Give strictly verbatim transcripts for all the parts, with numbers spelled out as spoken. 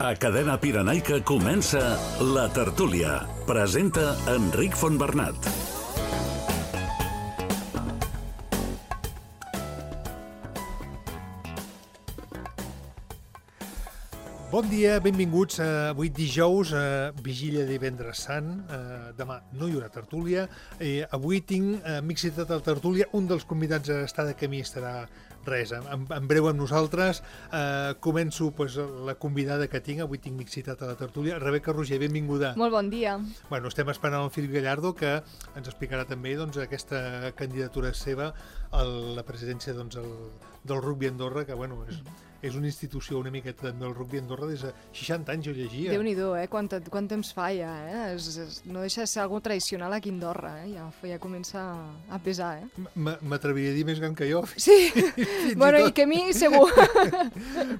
A Cadena Pirenaica comença La Tertúlia. Presenta Enric Fontbernat. Bon dia, benvinguts. Uh, avui dijous, uh, vigília de divendres sant. Uh, demà no hi haurà tertúlia. Uh, avui tinc uh, m'he citat a la tertúlia. Un dels convidats a estar de camí estarà res, en, en breu amb nosaltres. Uh, començo pues, la convidada que tinc. Avui tinc m'he citat a la tertúlia. Rebeca Roger, benvinguda. Molt bon dia. Bueno, estem esperant el Filip Gallardo, que ens explicarà també doncs, aquesta candidatura seva a la presidència doncs, el, del rugby Andorra, que bueno, és... és una institució una miqueta del rugby Andorra des de seixanta anys, jo llegia. Déu-n'hi-do, eh? Quant, quant temps fa ja, eh? És, és, no deixa de ser algo tradicional aquí a Andorra, eh? Ja, ja comença a pesar, eh? M'atreviria a dir més gran que jo. Sí, bueno, i, i que a mi segur.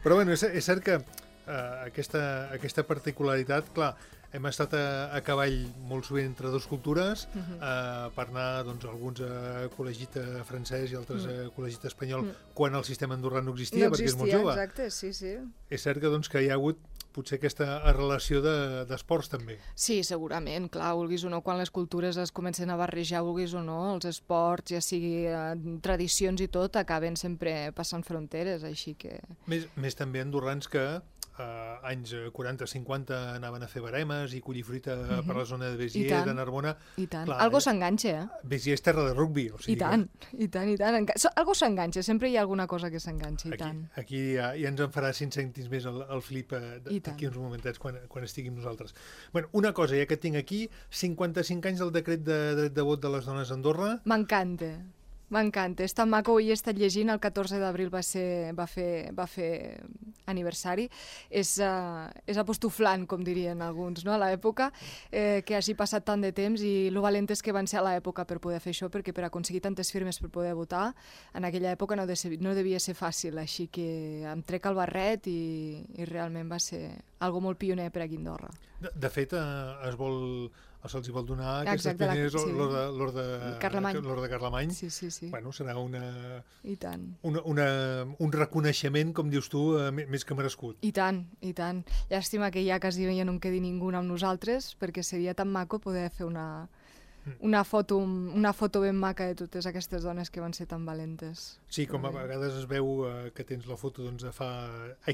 Però bueno, és, és cert que uh, aquesta, aquesta particularitat, clar, hem estat a, a cavall molt sovint entre dues cultures, uh-huh. uh, per anar doncs, alguns a col·legit francès i altres uh-huh. a col·legit espanyol, uh-huh. quan el sistema andorrà no existia, no perquè existia, és molt jove. Exacte, sí, sí. És cert que, doncs, que hi ha hagut potser aquesta relació d'esports de, també. Sí, segurament, clar, vulguis o no, quan les cultures es comencen a barrejar, vulguis o no, els esports, ja sigui eh, tradicions i tot, acaben sempre passant fronteres, així que... Més, més també andorrans que Uh, anys quaranta cinquanta anaven a fer baremes i collir fruita uh-huh. per la zona de Béziers, de Narbona. I tant, Clar, algo s'enganxa, eh? Béziers és terra de rugby. O sigui I tant, que... i tant, i tant. Enca... Algo s'enganxa, sempre hi ha alguna cosa que s'enganxa, i aquí, tant. Aquí ja, ja ens en farà cinc cèntims més el, el Filip d'aquí uns momentets quan, quan estiguem nosaltres. Bueno, una cosa, ja que tinc aquí, cinquanta-cinc anys del decret de dret de vot de les dones a Andorra. M'encanta. M'encanta, és tan maco, avui he estat llegint, el catorze d'abril va, ser, va, fer, va fer aniversari, és, uh, és apostoflant, com dirien alguns, no? A l'època, eh, que hagi passat tant de temps i lo valentes que van ser a l'època per poder fer això, perquè per aconseguir tantes firmes per poder votar, en aquella època no, de ser, no devia ser fàcil, així que em trec el barret i, i realment va ser algo molt pioner per aquí a Andorra. De, de fet, eh, es vol... se'ls vol donar aquestes Exacte, pioneres sí. l'Orde Carlemany. de Carlemany. Sí, sí, sí. Bueno, serà una, I tant. Una, una, un reconeixement, com dius tu, eh, més que merescut. I tant, i tant. Llàstima que ja quasi ja no en quedi ningú amb nosaltres, perquè seria tan maco poder fer una, una, foto, una foto ben maca de totes aquestes dones que van ser tan valentes. Sí, com a vegades es veu eh, que tens la foto doncs, de fa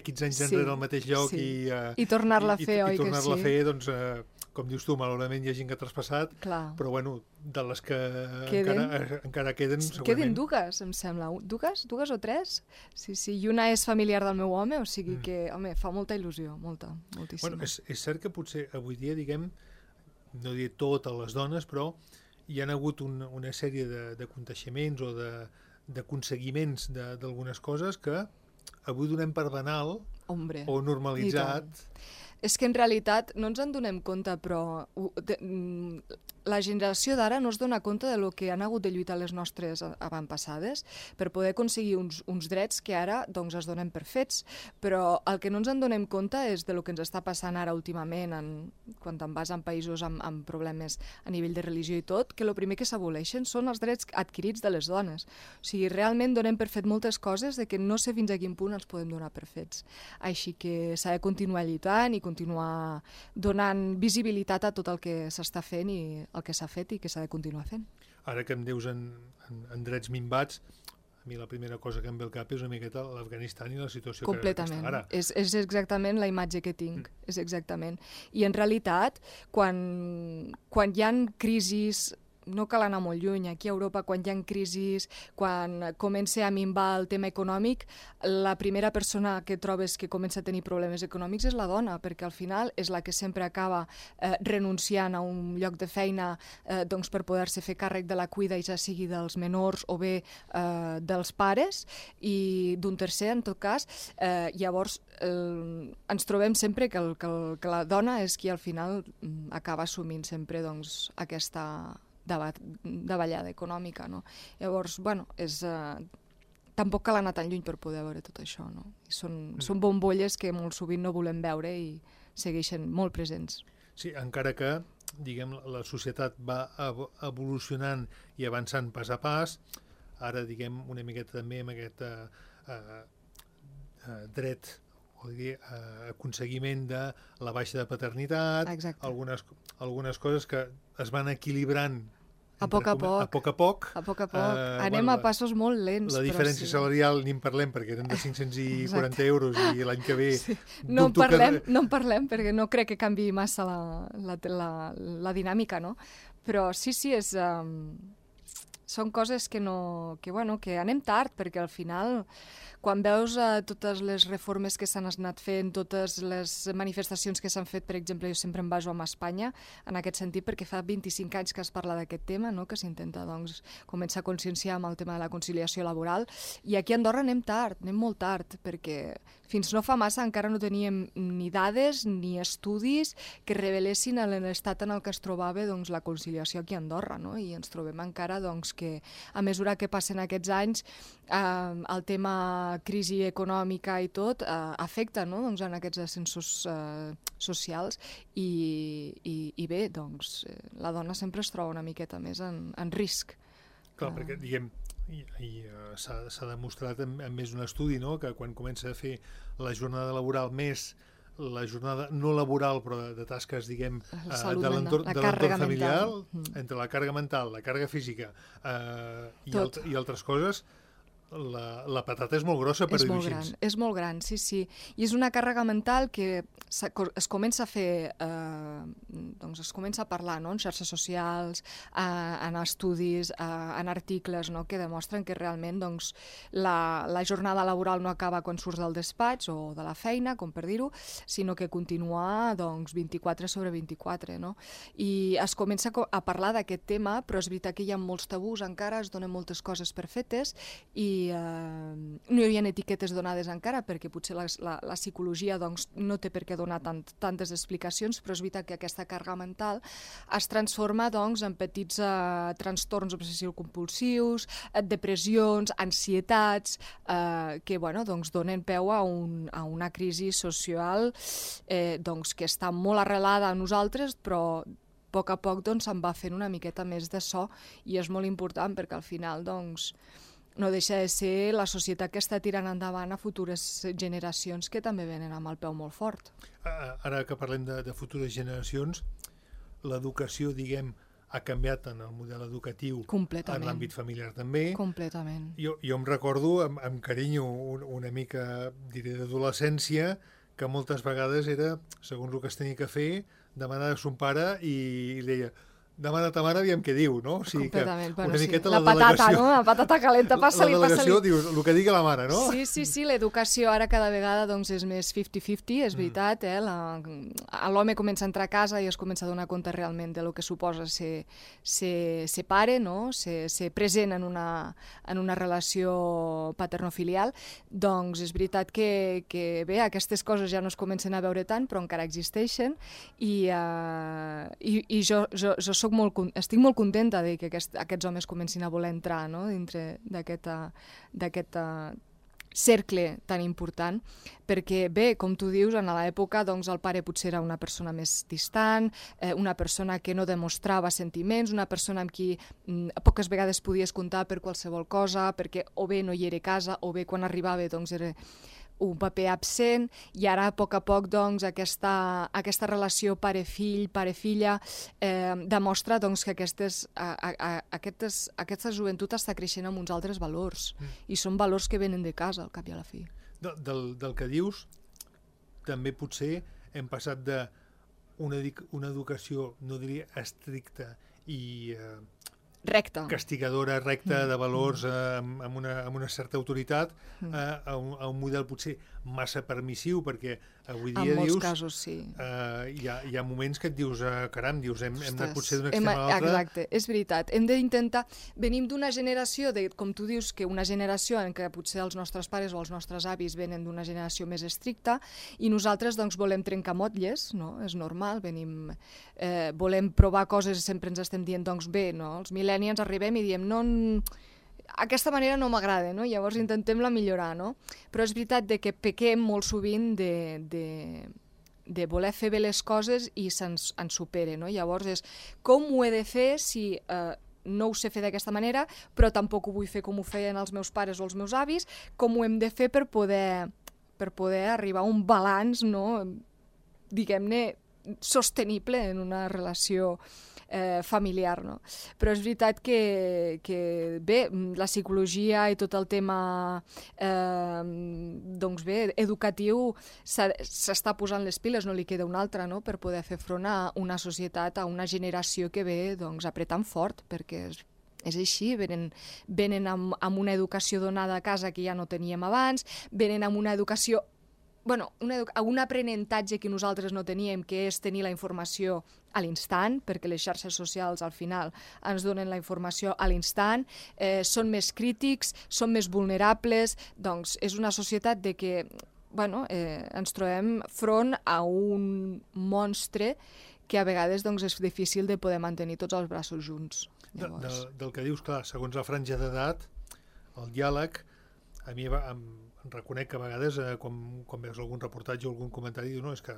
quinze anys sí, enrere al mateix lloc sí. i, eh, I tornar-la a fer, i, oi i tornar-la que sí? a fer, doncs... Eh, com dius tu, malauradament hi ha gent que ha traspassat, Clar. però bueno, de les que queden, encara, encara queden, segurament... Queden dues, em sembla. Dues? Dues o tres? Sí, sí, i una és familiar del meu home, o sigui mm. que, home, fa molta il·lusió, molta, moltíssima. Bueno, és, és cert que potser avui dia, diguem, no diré totes les dones, però hi ha hagut un, una sèrie de, de coneixements o d'aconseguiments d'algunes coses que avui donem per banal Hombre, o normalitzat. És que en realitat no ens en donem compte, però de, la generació d'ara no es dona compte de lo que han hagut de lluitar les nostres avantpassades per poder aconseguir uns, uns drets que ara doncs, es donen per fets, però el que no ens en donem compte és de lo que ens està passant ara últimament, en, quan te'n vas en països amb, amb problemes a nivell de religió i tot, que el primer que s'aboleixen són els drets adquirits de les dones. O sigui, realment donem per fet moltes coses de que no sé fins a quin punt els podem donar per fets. Així que s'ha de continuar lluitant i continuar donant visibilitat a tot el que s'està fent i el que s'ha fet i que s'ha de continuar fent. Ara que em dius en, en, en drets minvats, a mi la primera cosa que em ve al cap és una miqueta l'Afganistan i la situació completament. Que, que està ara. És, és exactament la imatge que tinc, mm. és exactament. I en realitat, quan, quan hi ha crisis... No cal anar molt lluny, aquí a Europa, quan hi ha crisis, quan comença a minvar el tema econòmic, la primera persona que trobes que comença a tenir problemes econòmics és la dona, perquè al final és la que sempre acaba eh, renunciant a un lloc de feina eh, doncs per poder-se fer càrrec de la cuida, ja sigui dels menors o bé eh, dels pares, i d'un tercer, en tot cas. Eh, llavors, eh, ens trobem sempre que, el, que, el, que la dona és qui al final acaba assumint sempre doncs, aquesta... davallada econòmica, no? Llavors, bueno, és... Eh, tampoc cal anar tan lluny per poder veure tot això, no? I són, mm. són bombolles que molt sovint no volem veure i segueixen molt presents. Sí, encara que, diguem, la societat va evolucionant i avançant pas a pas, ara, diguem, una miqueta també amb aquest eh, eh, dret o dir, eh, aconseguiment de la baixa de paternitat, algunes, algunes coses que es van equilibrant a poc a poc. A poc a poc. A poc a poc. Uh, Anem bueno, a passos molt lents. La diferència sí. salarial ni en parlem perquè eren de cinc-cents quaranta euros i l'any que ve... Sí. No, en parlem, que... no en parlem perquè no crec que canviï massa la, la, la, la dinàmica, no? Però sí, sí, és, um, són coses que, no, que, bueno, que anem tard perquè al final... Quan veus uh, totes les reformes que s'han anat fent, totes les manifestacions que s'han fet, per exemple, jo sempre em baso amb Espanya, en aquest sentit, perquè fa vint-i-cinc anys que es parla d'aquest tema, no? Que s'intenta doncs, començar a conscienciar amb el tema de la conciliació laboral, i aquí a Andorra anem tard, anem molt tard, perquè fins no fa massa encara no teníem ni dades ni estudis que revelessin l'estat en el que es trobava doncs, la conciliació aquí a Andorra, no? I ens trobem encara doncs, que a mesura que passen aquests anys eh, el tema crisi econòmica i tot, eh, afecta no? doncs en aquests ascensos eh, socials i, i, i bé, doncs, eh, la dona sempre es troba una miqueta més en, en risc. Clar, uh... perquè, diguem, i, i uh, s'ha demostrat en, en més d'un estudi, no?, que quan comença a fer la jornada laboral més la jornada no laboral, però de, de tasques, diguem, uh, de l'entorn familiar, mm. entre la càrrega mental, la càrrega física uh, i, alt, i altres coses, La, la patata és molt grossa per dir-ho així. És molt gran, sí, sí. I és una càrrega mental que es comença a fer, eh, doncs es comença a parlar no? en xarxes socials, eh, en estudis, eh, en articles no? que demostren que realment doncs, la, la jornada laboral no acaba quan surts del despatx o de la feina, com per dir-ho, sinó que continua doncs, vint-i-quatre sobre vint-i-quatre. No? I es comença a parlar d'aquest tema, però és veritat que hi ha molts tabús encara, es donen moltes coses per fetes i i uh, no hi havia etiquetes donades encara perquè potser la, la, la psicologia doncs, no té per què donar tant, tantes explicacions, però és veritat que aquesta càrrega mental es transforma doncs, en petits uh, trastorns obsessius-compulsius, depressions, ansietats, uh, que bueno, doncs, donen peu a, un, a una crisi social eh, doncs, que està molt arrelada a nosaltres, però a poc a poc doncs, se'n va fent una miqueta més de so i és molt important perquè al final doncs, no deixa de ser la societat que està tirant endavant a futures generacions que també venen amb el peu molt fort. Ara que parlem de, de futures generacions, l'educació, diguem, ha canviat en el model educatiu, en l'àmbit familiar també. Completament. Jo, jo em recordo, amb, amb carinyo, un, una mica, diré, d'adolescència, que moltes vegades era, segons el que es tenia que fer, demanar a son pare i li deia demana ta mare, aviam què diu, no? O sigui completament, que bueno, una sí. miqueta la, la patata, no? La patata calenta, passa-li, passa-li. La delegació passa-li. dius, el que digui la mare, no? Sí, sí, sí, l'educació ara cada vegada doncs, és més cinquanta-cinquanta, és veritat, eh? L'home comença a entrar a casa i es comença a donar compte realment de lo que suposa ser, ser, ser pare, no? Ser, ser present en una, en una relació paternofilial. Doncs és veritat que, que bé, aquestes coses ja no es comencen a veure tant, però encara existeixen i, uh, i, i jo, jo, jo soc molt, estic molt contenta de que aquest, aquests homes comencin a voler entrar no? dintre d'aquest cercle tan important, perquè bé, com tu dius, en l'època doncs, el pare potser era una persona més distant, eh, una persona que no demostrava sentiments, una persona amb qui mm, poques vegades podies comptar per qualsevol cosa, perquè o bé no hi era a casa, o bé quan arribava doncs, era un paper absent, i ara a poc a poc doncs, aquesta, aquesta relació pare-fill, pare-filla eh, demostra doncs, que aquestes, a, a, aquestes, aquesta joventut està creixent amb uns altres valors mm. i són valors que venen de casa al cap i a la fi. De, del, del que dius, també potser hem passat d'una una educació, no diria estricta i eh, recta. castigadora, recta, de valors eh, amb, amb, una, amb una certa autoritat, eh, a, un, a un model potser massa permissiu, perquè avui dia en molts dius, casos, sí. Eh, hi, ha, hi ha moments que et dius, eh, caram, dius, hem, hem de potser d'un extrem a l'altre. Exacte, és veritat. Hem d'intentar... Venim d'una generació, de, com tu dius, que una generació en què potser els nostres pares o els nostres avis venen d'una generació més estricta i nosaltres doncs, volem trencar motlles, no? És normal, venim... Eh, volem provar coses, sempre ens estem dient, doncs bé, no? Els millennials arribem i diem, no... aquesta manera no m'agrada, no? Llavors intentem-la millorar, no? Però és veritat de que pequem molt sovint de, de, de voler fer bé les coses i se'ns ens supere, no? Llavors és com ho he de fer si eh, no ho sé fer d'aquesta manera, però tampoc ho vull fer com ho feien els meus pares o els meus avis, com ho hem de fer per poder per poder arribar a un balanç, no, diguem-ne, sostenible en una relació eh, familiar, no? Però és veritat que, que bé, la psicologia i tot el tema eh, doncs bé, educatiu s'està posant les piles, no li queda una altra, no?, per poder fer front a una societat, a una generació que ve doncs, apretant fort, perquè és És així, venen, venen amb, amb una educació donada a casa que ja no teníem abans, venen amb una educació, bueno, una edu un aprenentatge que nosaltres no teníem, que és tenir la informació a l'instant, perquè les xarxes socials al final ens donen la informació a l'instant, eh, són més crítics, són més vulnerables, doncs és una societat de que bueno, eh, ens trobem front a un monstre que a vegades doncs, és difícil de poder mantenir tots els braços junts. De, de, del que dius, clar, segons la franja d'edat, el diàleg, a mi em, em reconec que a vegades, eh, quan, quan veus algun reportatge o algun comentari, dius, no, és que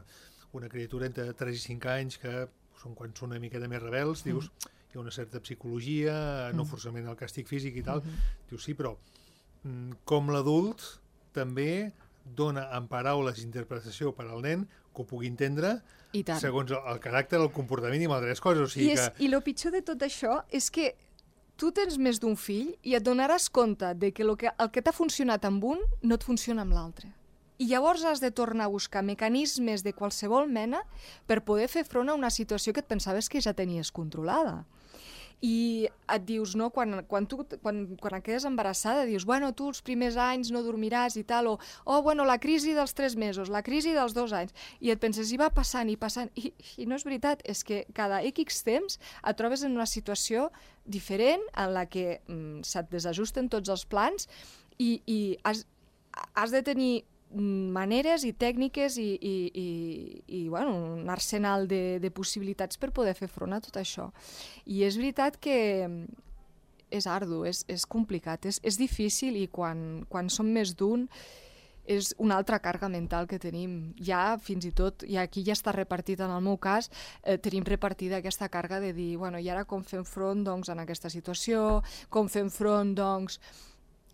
una criatura entre tres i cinc anys, que són quan són una miqueta més rebels, dius, mm. hi ha una certa psicologia, mm. no forçament el càstig físic i tal, mm-hmm. dius, sí, però com l'adult també dona en paraules interpretació per al nen que ho pugui entendre segons el, el caràcter, el comportament i malgrat coses. O sigui I, és, que... I el pitjor de tot això és que tu tens més d'un fill i et donaràs compte de que, lo que el que t'ha funcionat amb un no et funciona amb l'altre. I llavors has de tornar a buscar mecanismes de qualsevol mena per poder fer front a una situació que et pensaves que ja tenies controlada. I et dius, no, quan, quan, tu, quan, quan et quedes embarassada, dius, bueno, tu els primers anys no dormiràs i tal, o, oh, bueno, la crisi dels tres mesos, la crisi dels dos anys, i et penses, i va passant, i passant, i, i no és veritat, és que cada X temps et trobes en una situació diferent en la que mm, se't desajusten tots els plans i, i has, has de tenir maneres i tècniques i, i, i, i bueno, un arsenal de, de possibilitats per poder fer front a tot això. I és veritat que és ardu, és, és complicat, és, és difícil i quan, quan som més d'un és una altra càrrega mental que tenim. Ja, fins i tot, i aquí ja està repartit en el meu cas, eh, tenim repartida aquesta càrrega de dir, bueno, i ara com fem front doncs, en aquesta situació, com fem front doncs,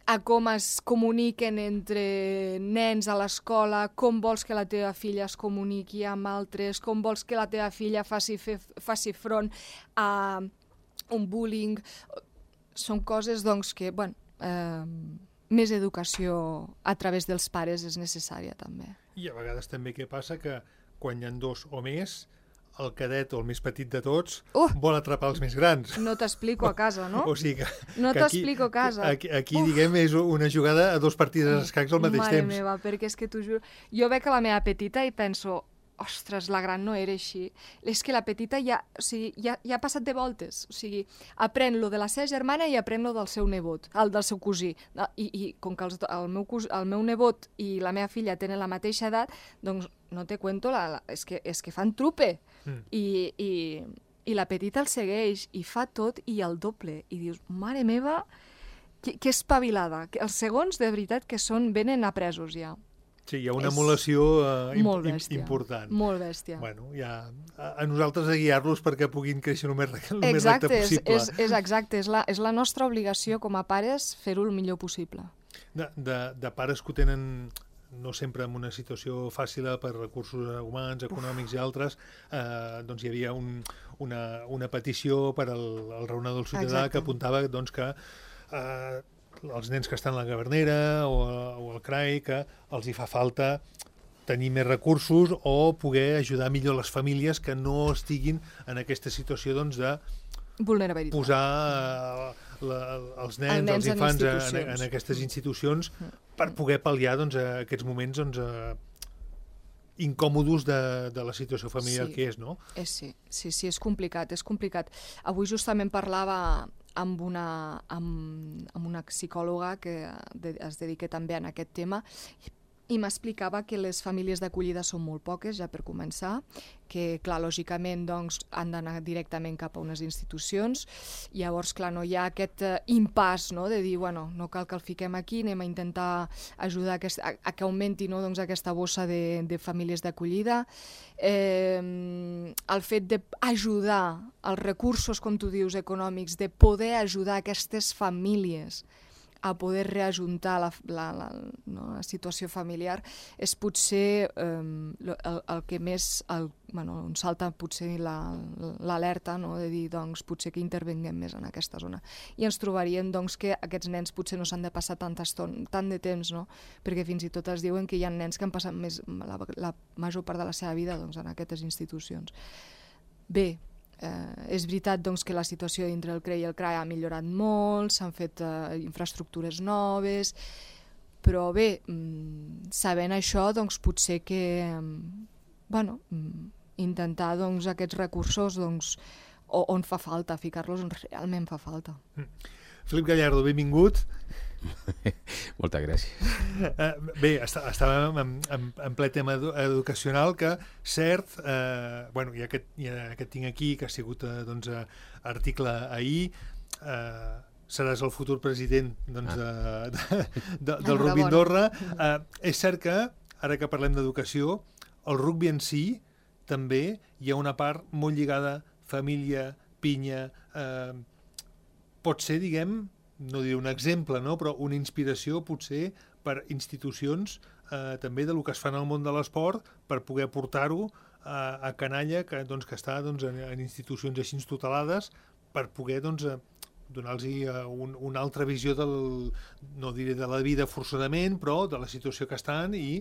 a com es comuniquen entre nens a l'escola, com vols que la teva filla es comuniqui amb altres, com vols que la teva filla faci, fe, faci front a un bullying. Són coses doncs, que, bueno, eh, més educació a través dels pares és necessària també. I a vegades també què passa que quan hi ha dos o més, el cadet o el més petit de tots uh, vol atrapar els més grans. No t'explico a casa, no? O sigui que, no t'explico a casa. Aquí, aquí diguem, és una jugada a dos partides d'escacs al mateix Mare temps. Mare meva, perquè és que t'ho juro... Jo veig a la meva petita i penso, ostres, la gran no era així. És que la petita ja, o sigui, ja, ja ha passat de voltes. O sigui, aprèn lo de la seva germana i aprèn lo del seu nebot, el del seu cosí. I, i com que els, el, meu cos, el meu nebot i la meva filla tenen la mateixa edat, doncs no te cuento, la, la, és, que, és que fan trupe. Mm. I, i, I la petita el segueix i fa tot i el doble. I dius, mare meva, que, que espavilada. Que els segons, de veritat, que són, venen apresos ja. Sí, hi ha una emulació eh, molt bèstia, important. Molt bèstia. Bueno, ja, a, a nosaltres a guiar-los perquè puguin créixer el més, el exacte, més recte possible. És, és exacte, és la, és la nostra obligació com a pares fer-ho el millor possible. De, de, de pares que ho tenen no sempre en una situació fàcil per recursos humans, econòmics Uf. i altres, eh, doncs hi havia un, una, una petició per al, al raonador del ciutadà Exacte. que apuntava doncs, que eh, els nens que estan a la Gavernera o, o al C R A I, que els hi fa falta tenir més recursos o poder ajudar millor les famílies que no estiguin en aquesta situació doncs, de vulnerabilitat. Posar eh, la, els nens, nens els infants en, en, en aquestes institucions mm. per poder pal·liar doncs, aquests moments doncs, eh, incòmodos de, de la situació familiar sí. que és, no? És, sí. sí, sí, és complicat, és complicat. Avui justament parlava amb una, amb, amb una psicòloga que de, es dedica també a aquest tema i m'explicava que les famílies d'acollida són molt poques, ja per començar, que, clar, lògicament, doncs, han d'anar directament cap a unes institucions. Llavors, clar, no hi ha aquest uh, impàs, no?, de dir, bueno, no cal que el fiquem aquí, anem a intentar ajudar a, aquest, a, a que augmenti, no?, doncs, aquesta bossa de, de famílies d'acollida. Eh, el fet d'ajudar els recursos, com tu dius, econòmics, de poder ajudar aquestes famílies a poder reajuntar la, la, la, no, la situació familiar és potser eh, el, el que més, el, bueno, on salta potser l'alerta, no? De dir, doncs, potser que intervenguem més en aquesta zona. I ens trobaríem, doncs, que aquests nens potser no s'han de passar tanta estona, tant de temps, no? Perquè fins i tot es diuen que hi ha nens que han passat més, la, la major part de la seva vida, doncs, en aquestes institucions. Bé, Eh, és veritat doncs, que la situació dintre el C R E I i el C R A I ha millorat molt, s'han fet eh, infraestructures noves, però bé, mm, sabent això, doncs, potser que mm, bueno, mm, intentar doncs, aquests recursos doncs, o, on fa falta, ficar-los on realment fa falta. Mm. Felip Gallardo, benvingut. Moltes gràcies. Uh, bé, està, estàvem en, en, en ple tema edu educacional que, cert, eh, bueno, ja que, ja que tinc aquí, que ha sigut eh, doncs, eh, article ahir, eh, seràs el futur president doncs, de, de, de, del rugby Andorra. Eh, és cert que, ara que parlem d'educació, el rugby en si també hi ha una part molt lligada, família, pinya, eh, pot ser, diguem, no diré un exemple, no? Però una inspiració potser per institucions eh, també del que es fa en el món de l'esport per poder portar-ho a, a canalla que, doncs, que està doncs, en, en institucions així tutelades per poder doncs, donar-los un, una altra visió del, no diré de la vida forçadament, però de la situació que estan i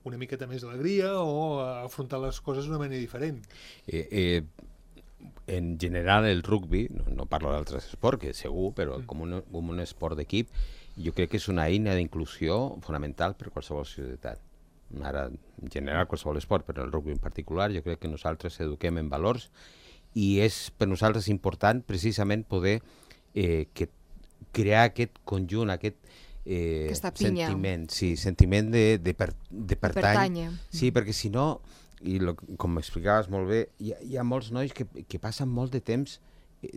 una miqueta més d'alegria o afrontar les coses d'una manera diferent. Eh, eh... En general el rugby, no, no parlo d'altres esports, que segur, però mm. com, un, com un esport d'equip, jo crec que és una eina d'inclusió fonamental per qualsevol societat. Ara, en general, qualsevol esport, però el rugby en particular, jo crec que nosaltres eduquem en valors i és per nosaltres important precisament poder eh, que crear aquest conjunt, aquest eh, sentiment, sí, sentiment de, de, per, de pertany. Sí, perquè si no... I lo, com m'explicaves molt bé, hi ha, hi ha molts nois que, que passen molt de temps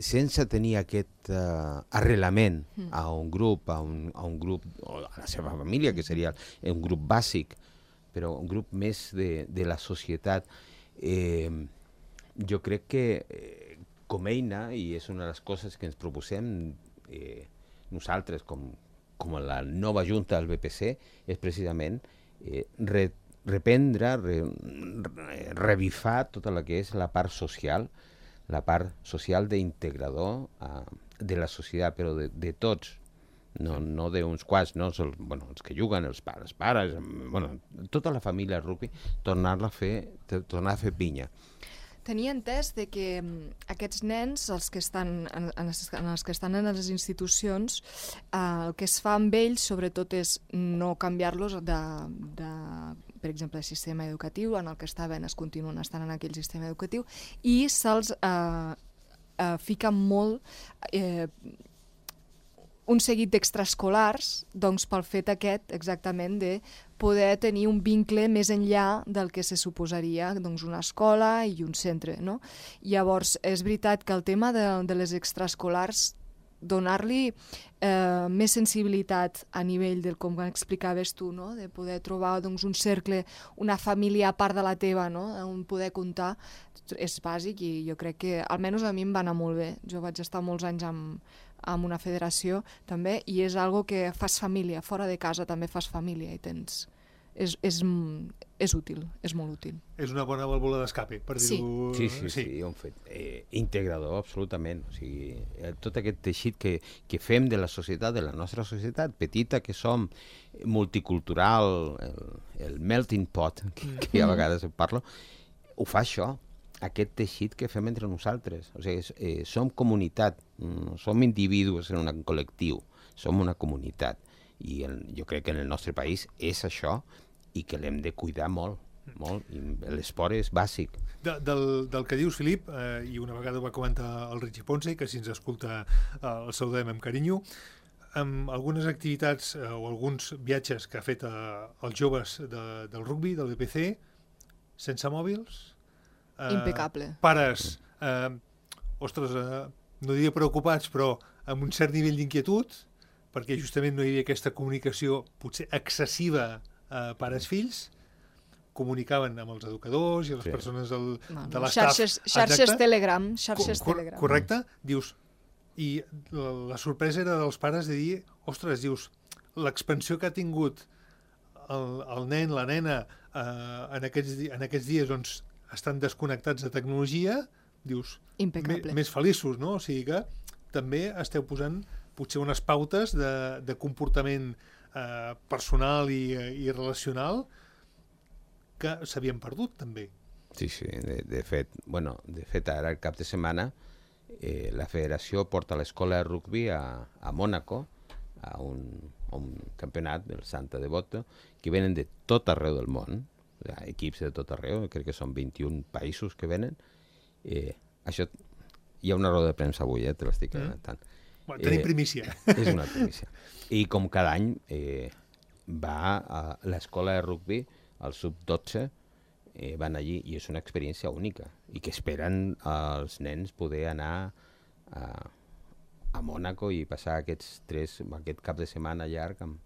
sense tenir aquest uh, arrelament mm. a un grup, a un, a un grup, o a la seva família, que seria un grup bàsic, però un grup més de, de la societat. Eh, jo crec que eh, com eina, i és una de les coses que ens proposem eh, nosaltres com, com la nova junta del B P C, és precisament eh, re, reprendre, re, re, revifar tota la que és la part social, la part social d'integrador uh, de la societat, però de, de tots, no, no d'uns quants, no? Els, bueno, els que juguen, els pares, pares, bueno, tota la família rugby, tornar-la a fer, tornar a fer pinya. Tenia entès de que aquests nens, els que estan en, en, els, en els que estan en les institucions, eh, el que es fa amb ells, sobretot, és no canviar-los de, de, per exemple, de sistema educatiu, en el que estaven, es continuen estant en aquell sistema educatiu, i se'ls eh, eh, fica molt eh, un seguit d'extraescolars, doncs pel fet aquest, exactament, de poder tenir un vincle més enllà del que se suposaria doncs, una escola i un centre, no? Llavors, és veritat que el tema de, de les extraescolars, donar-li eh, més sensibilitat a nivell del com explicaves tu, no? De poder trobar doncs, un cercle, una família a part de la teva, no? On poder comptar, és bàsic i jo crec que, almenys a mi em va anar molt bé. Jo vaig estar molts anys amb, amb una federació també, i és algo que fas família, fora de casa també fas família i tens... És, és, és útil, és molt útil. És una bona vàlvula d'escape, per sí. dir-ho... Sí, sí, sí, sí, un fet eh, integrador, absolutament. O sigui, eh, tot aquest teixit que, que fem de la societat, de la nostra societat, petita que som, multicultural, el, el melting pot, que, que a vegades parlo, ho fa això, aquest teixit que fem entre nosaltres. O sigui, eh, som comunitat, no som individus en un col·lectiu, som una comunitat. I el, jo crec que en el nostre país és això, i que l'hem de cuidar molt, molt, i l'esport és bàsic. De, del, del que dius, Filip, eh, i una vegada ho va comentar el Richie Ponce, que si ens escolta eh, el saludem amb carinyo, amb algunes activitats eh, o alguns viatges que ha fet eh, els joves de, del rugby, del B P C, sense mòbils... Eh, Impecable. Pares, eh, ostres, eh, no diria preocupats, però amb un cert nivell d'inquietud, perquè justament no hi havia aquesta comunicació potser excessiva eh, pares-fills, comunicaven amb els educadors i les sí. persones del, no, no. de l'estaf. Xarxes, xarxes Telegram, xarxes Cor Telegram. Correcte? Dius, I la, la sorpresa era dels pares de dir, ostres, dius, l'expansió que ha tingut el, el nen, la nena, eh, en, aquests, en aquests dies doncs, estan desconnectats de tecnologia, dius, me, més feliços, no? O sigui que també esteu posant potser unes pautes de, de comportament eh, personal i, i relacional que s'havien perdut, també. Sí, sí, de, de fet, bueno, de fet, ara el cap de setmana eh, la federació porta l'escola de rugby a, a Mònaco, a un, a un campionat del Santa Devoto, que venen de tot arreu del món, o sigui, equips de tot arreu, crec que són vint-i-un països que venen. Eh, això, hi ha una roda de premsa avui, eh, te l'estic comentant. Mm. Bueno, tenim eh, primícia. És una primícia. I com cada any eh, va a l'escola de rugby, al sub dotze, eh, van allí, i és una experiència única, i que esperen els nens poder anar a, a Mònaco i passar aquests tres, aquest cap de setmana llarg amb,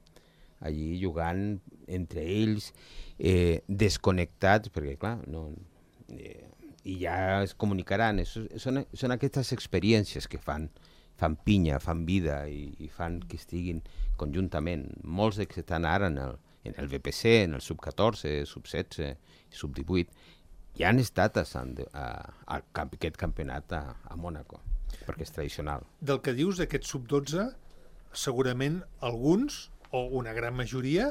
allí jugant entre ells, eh, desconnectats, perquè clar, no, eh, i ja es comunicaran. Es, són, són aquestes experiències que fan, fan pinya, fan vida i, i fan que estiguin conjuntament. Molts que estan ara en el, en el V P C, en el sub catorze, sub setze, sub divuit, ja han estat a, Sant, a, a, a aquest campionat a, a Mònaco, perquè és tradicional. Del que dius d'aquest sub dotze, segurament alguns, o una gran majoria,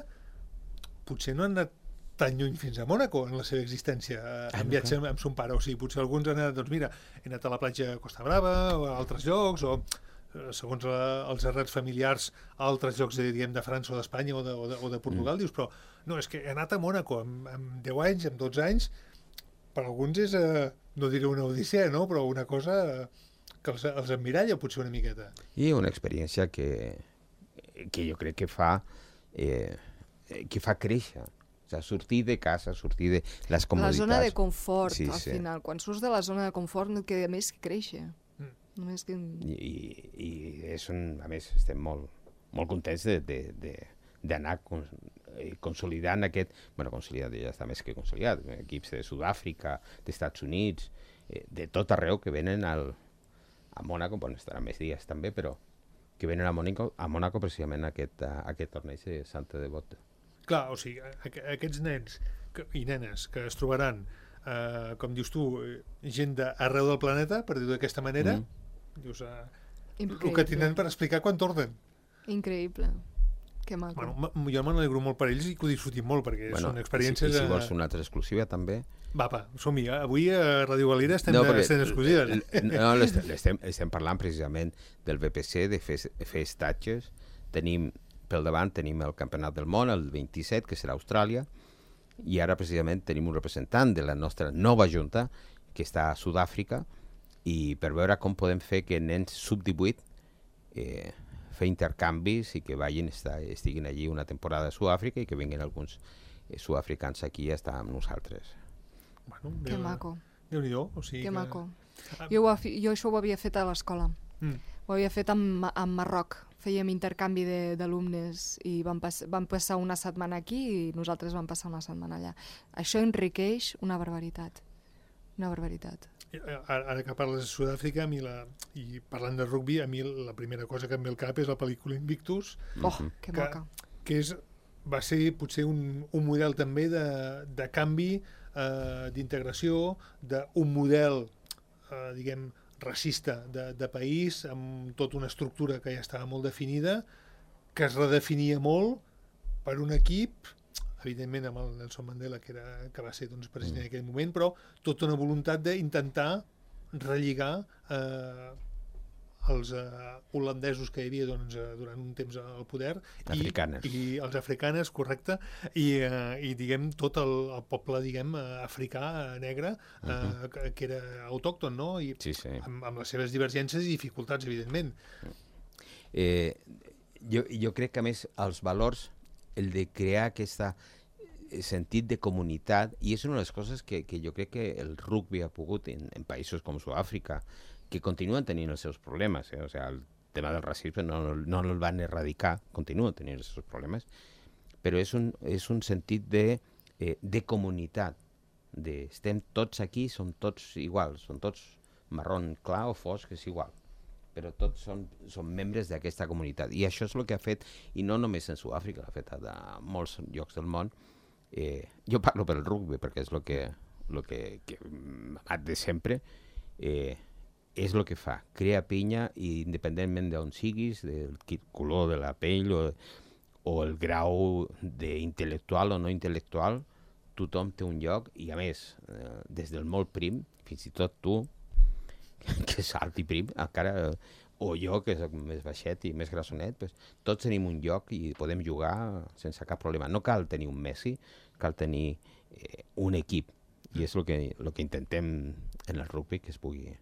potser no han anat tan lluny fins a Mònaco en la seva existència, en viatge amb, amb son pare. O sigui, potser alguns han anat, doncs mira, he anat a la platja Costa Brava o a altres llocs, o segons la, els errats familiars a altres llocs de, diguem, de França o d'Espanya o, de, o, de, o de Portugal, mm. dius, però no, és que he anat a Mònaco amb, amb deu anys, amb dotze anys, per alguns és, eh, no diré una odissea, no? Però una cosa que els, els emmiralla potser una miqueta. I una experiència que, que jo crec que fa, eh, que fa créixer. O sigui, sortir de casa, sortir de les comoditats. La zona de confort, sí, al sí. final. Quan surts de la zona de confort no et queda més que créixer. Mm. Només que... I, i, i és un, a més, estem molt, molt contents de, de, de, d'anar cons, eh, consolidant aquest... bueno, consolidat ja està més que consolidat. Equips de Sud-àfrica, d'Estats Units, eh, de tot arreu que venen al, a Mònaco, bueno, estaran més dies també, però que venen a Mònaco, a Mònaco precisament a aquest, a aquest torneig de Santa Devoto. Clar, o sigui, aqu aquests nens que, i nenes que es trobaran, eh, com dius tu, gent d'arreu del planeta, per dir-ho d'aquesta manera, mm. dius, eh, el que tindran per explicar quan tornen. Increïble. Que maco. Bueno, jo me n'alegro molt per ells i que ho disfrutin molt, perquè bueno, són experiències... I si, i si vols una altra exclusiva, també... Va, va, som-hi. Avui a Ràdio Galera estem, no, de, estem exclusives. No, estem, estem parlant precisament del V P C, de fer, fer estatges. Tenim... Pel davant tenim el Campionat del Món, el vint-i-set, que serà a Austràlia, i ara precisament tenim un representant de la nostra nova junta, que està a Sud-àfrica, i per veure com podem fer que nens sub divuit eh, fer intercanvis i que vagin, estar, estiguin allí una temporada a Sud-àfrica i que vinguin alguns eh, sud-africans aquí a estar amb nosaltres. Bueno, que Déu, maco. Déu-n'hi-do. O sigui que que... maco. Jo, ho, jo això ho havia fet a l'escola. Mm. Ho havia fet amb, amb Marroc. Fèiem intercanvi d'alumnes i vam, pas, vam passar una setmana aquí i nosaltres vam passar una setmana allà. Això enriqueix una barbaritat. Una barbaritat. Ara, ara que parles de Sud-àfrica, a mi la, i parlant de rugby, a mi la primera cosa que em ve al cap és la pel·lícula Invictus. Oh, que maca. Que, que és, va ser potser un, un model també de, de canvi, eh, d'integració, d'un model, eh, diguem, racista de, de país, amb tota una estructura que ja estava molt definida, que es redefinia molt per un equip, evidentment amb el Nelson Mandela, que, era, que va ser doncs, president en aquell moment, però tota una voluntat d'intentar relligar eh, els eh, holandesos que hi havia doncs, eh, durant un temps al poder africanes. I, i els africanes, correcte, i, eh, i diguem tot el, el poble diguem africà, negre, eh, uh-huh. que, que era autòcton, no? I sí, sí. Amb, amb les seves divergències i dificultats, evidentment. Eh, jo, jo crec que a més els valors, el de crear aquest sentit de comunitat, i és una de les coses que, que jo crec que el rugby ha pogut en, en països com Sud-àfrica, que continuen tenint els seus problemes, eh? O sigui, el tema del racisme no, no, no el van erradicar, continuen tenint els seus problemes, però és un, és un sentit de, eh, de comunitat, de estem tots aquí, som tots iguals, som tots marró clar o fosc, és igual. però tots són, són membres d'aquesta comunitat. I això és el que ha fet, i no només en Sud-àfrica, l'ha fet a molts llocs del món. Eh, jo parlo pel rugby, perquè és el que, lo que, que amat de sempre, eh, és el que fa, crea pinya i independentment d'on siguis, del color de la pell o, o el grau d'intel·lectual o no intel·lectual, tothom té un lloc i a més, eh, des del molt prim, fins i tot tu, que és alt i prim, encara, o jo, que soc més baixet i més grassonet, pues, tots tenim un lloc i podem jugar sense cap problema. No cal tenir un Messi, cal tenir eh, un equip. I és el que, el que intentem en el rugby que es pugui.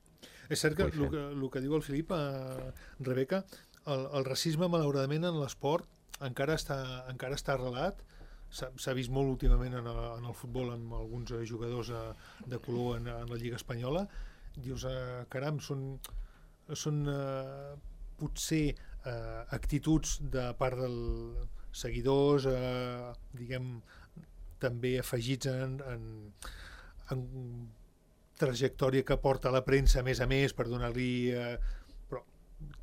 És cert que el que, el que diu el Filip, eh, Rebeca, el, el racisme, malauradament, en l'esport encara està, encara està arrelat. S'ha vist molt últimament en el, en el futbol amb alguns jugadors eh, de color en, en la Lliga Espanyola. Dius, eh, caram, són, són eh, potser eh, actituds de part dels seguidors, eh, diguem, també afegits en, en, en trajectòria que porta la premsa, a més a més, per donar-li... Eh, però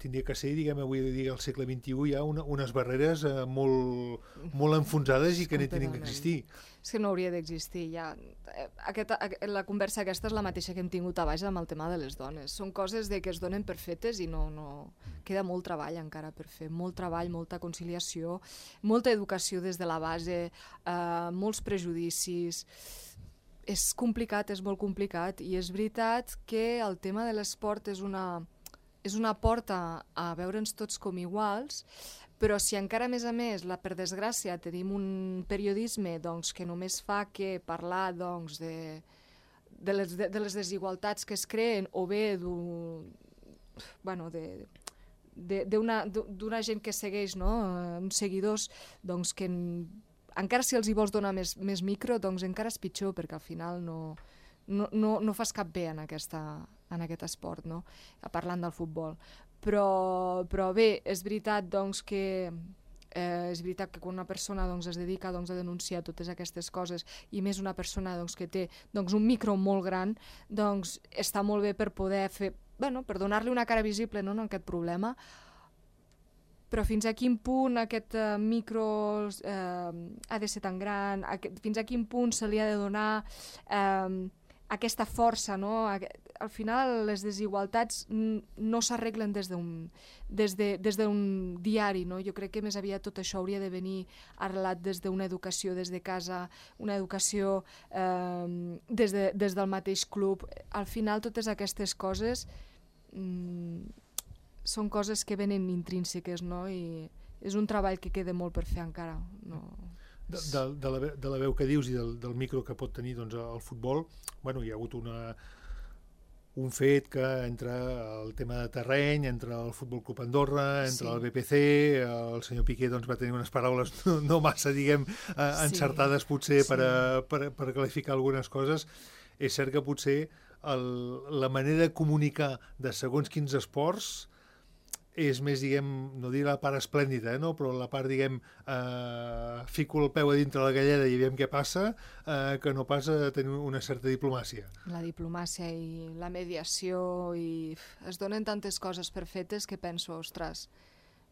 tindria que ser, diguem, avui dia al segle vint-i-u, hi ha una, unes barreres eh, molt, molt enfonsades i que no tenen que existir. És que no hauria d'existir ja. Aquesta, la conversa aquesta és la mateixa que hem tingut a baix amb el tema de les dones. Són coses de que es donen per fetes i no, no... Queda molt treball encara per fer, molt treball, molta conciliació, molta educació des de la base, eh, molts prejudicis... És complicat, és molt complicat, i és veritat que el tema de l'esport és una, és una porta a veure'ns tots com iguals, però si encara a més a més, la, per desgràcia, tenim un periodisme doncs, que només fa que parlar doncs, de, de, les, de, de les desigualtats que es creen o bé bueno, de, de, d'una gent que segueix, no? Uns seguidors doncs, que encara si els hi vols donar més, més micro, doncs encara és pitjor, perquè al final no, no, no, no fas cap bé en, aquesta, en aquest esport, no? Parlant del futbol. Però, però bé, és veritat doncs, que eh, és veritat que quan una persona doncs, es dedica doncs, a denunciar totes aquestes coses, i més una persona doncs, que té doncs, un micro molt gran, doncs està molt bé per poder fer, bueno, per donar-li una cara visible, no, en aquest problema. Però fins a quin punt aquest uh, micro eh, ha de ser tan gran, aquest, fins a quin punt se li ha de donar eh, aquesta força, no? Al final les desigualtats no s'arreglen des d'un des de, des d'un diari, no? Jo crec que més aviat tot això hauria de venir arrelat des d'una educació des de casa, una educació eh, des, de, des del mateix club. Al final totes aquestes coses mm, són coses que venen intrínseques, no? I és un treball que queda molt per fer encara. No? De, de, de, la, de la veu que dius i del, del micro que pot tenir doncs, el futbol, bueno, hi ha hagut una, un fet que entre el tema de terreny, entre el Futbol Club Andorra, entre sí. el B P C, el senyor Piqué doncs, va tenir unes paraules no, no massa, diguem, eh, encertades potser sí. per, a, per, per qualificar algunes coses. És cert que potser el, la manera de comunicar de segons quins esports és més, diguem, no dir la part esplèndida, eh, no? Però la part, diguem, eh, fico el peu a dintre la galleda i veiem què passa, eh, que no pas a tenir una certa diplomàcia. La diplomàcia i la mediació, i es donen tantes coses per fetes que penso, ostres,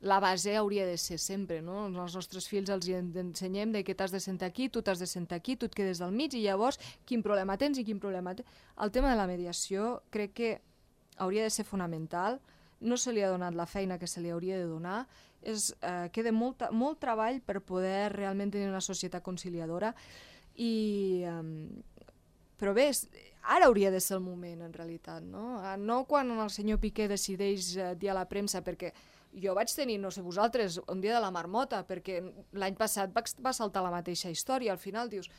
la base hauria de ser sempre, no? Els nostres fills els ensenyem de que t'has de sentar aquí, tu t'has de sentar aquí, tu et quedes al mig, i llavors quin problema tens i quin problema tens. El tema de la mediació crec que hauria de ser fonamental. No se li ha donat la feina que se li hauria de donar, és, eh, queda molt, molt treball per poder realment tenir una societat conciliadora, i, eh, però bé, ara hauria de ser el moment en realitat, no? No quan el senyor Piqué decideix eh, dir a la premsa, perquè jo vaig tenir, no sé vosaltres, un dia de la marmota, perquè l'any passat va, va saltar la mateixa història, al final dius...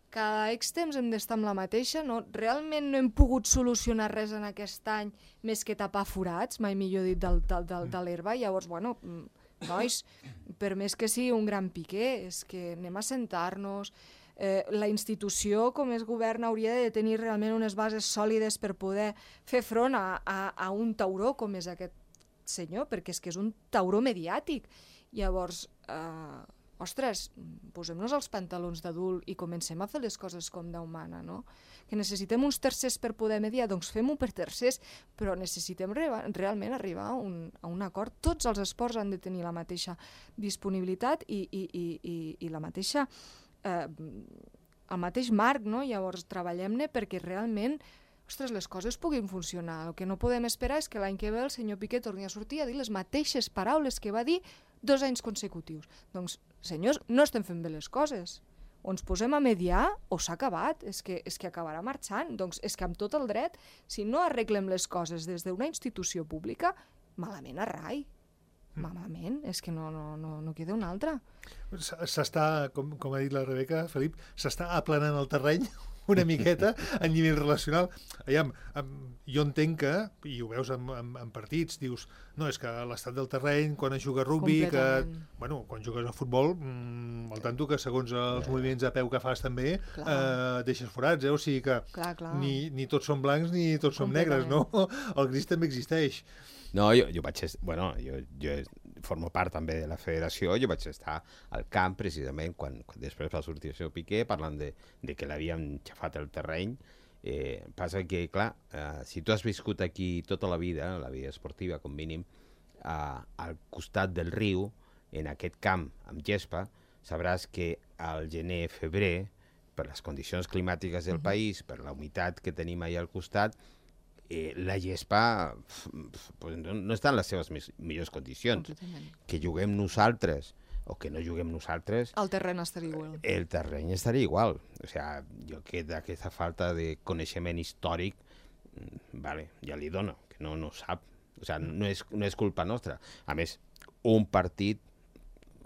Cada X temps hem d'estar amb la mateixa, no? Realment no hem pogut solucionar res en aquest any més que tapar forats, mai millor dit, del, del, del, de l'herba. Llavors, bueno, nois, per més que sigui un gran Piqué, és que anem a sentar-nos. Eh, la institució, com és govern, hauria de tenir realment unes bases sòlides per poder fer front a, a, a un tauró com és aquest senyor, perquè és que és un tauró mediàtic. Llavors... Eh, ostres, posem-nos els pantalons d'adult i comencem a fer les coses com d'humana, no? Que necessitem uns tercers per poder mediar, doncs fem-ho per tercers, però necessitem re realment arribar a un, a un acord. Tots els esports han de tenir la mateixa disponibilitat i, i, i, i, i la mateixa, eh, el mateix marc, no? Llavors treballem-ne perquè realment ostres, les coses puguin funcionar. El que no podem esperar és que l'any que ve el senyor Piqué torni a sortir a dir les mateixes paraules que va dir dos anys consecutius. Doncs, senyors, no estem fent bé les coses. O ens posem a mediar o s'ha acabat. És que, és que acabarà marxant. Doncs és que amb tot el dret, si no arreglem les coses des d'una institució pública, malament a rai. Malament, és que no, no, no, no queda una altra. S'està, com, com ha dit la Rebeca, Felip, s'està aplanant el terreny una miqueta a nivell relacional. Aviam, jo entenc que, i ho veus en, en, en partits, dius, no, és que l'estat del terreny, quan es juga a rugby, que, bueno, quan jugues a futbol, mmm, al tanto que segons els moviments de peu que fas també, eh, deixes forats, eh? O sigui que clar, clar. Ni, ni tots són blancs ni tots som negres, no? El gris també existeix. No, jo, jo vaig... Bueno, jo, jo formo part també de la federació, jo vaig estar al camp precisament quan, quan després va sortir el seu Piqué parlant de, de que l'havien xafat el terreny. Eh, passa que, clar, eh, si tu has viscut aquí tota la vida, la vida esportiva com mínim, eh, al costat del riu, en aquest camp amb gespa, sabràs que al gener-febrer, per les condicions climàtiques del uh-huh. país, per la humitat que tenim allà al costat, Eh, la gespa pues, no, no està en les seves mis, millors condicions. Que juguem nosaltres o que no juguem nosaltres... El terreny estaria igual. El terreny estaria igual. O sea, jo que d'aquesta falta de coneixement històric, vale, ja li dono, que no, no sap. O sea, no és, no és culpa nostra. A més, un partit,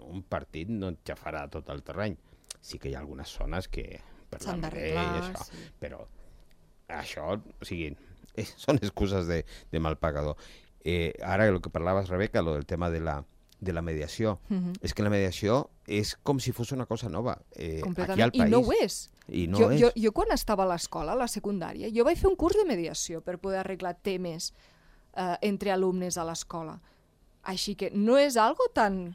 un partit no et xafarà tot el terreny. Sí que hi ha algunes zones que... S'han d'arreglar, sí. Però això, o sigui... Eh, són excuses de, de mal pagador. Eh, ara, el que parlaves, Rebeca, lo del tema de la, de la mediació, uh-huh. és que la mediació és com si fos una cosa nova eh, aquí al país. I no ho és. I no jo, és. Jo, jo quan estava a l'escola, a la secundària, jo vaig fer un curs de mediació per poder arreglar temes eh, entre alumnes a l'escola. Així que no és algo tan...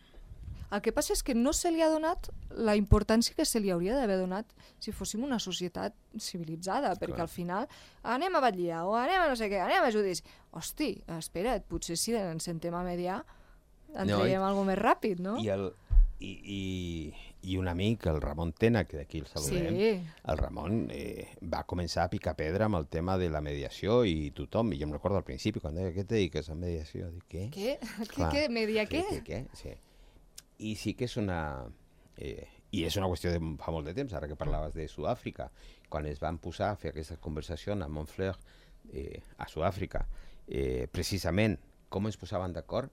El que passa és que no se li ha donat la importància que se li hauria d'haver donat si fóssim una societat civilitzada, perquè Clar. Al final anem a batllar o anem a no sé què, anem a judici. Hosti, espera't, potser si ens sentem a mediar en no, traiem alguna més ràpid, no? I, el, i, i, i un amic, el Ramon Tena, que d'aquí el saludem, sí. el Ramon eh, va començar a picar pedra amb el tema de la mediació i tothom, i jo em recordo al principi, quan deia, què et dediques a mediació? Dic, què? Què? Clar, què? Media què? Què? Què? Sí. I sí que és una... Eh, I és una qüestió de fa molt de temps, ara que parlaves de Sud-àfrica, quan es van posar a fer aquesta conversació a Montfleur, eh, a Sud-àfrica, eh, precisament com es posaven d'acord,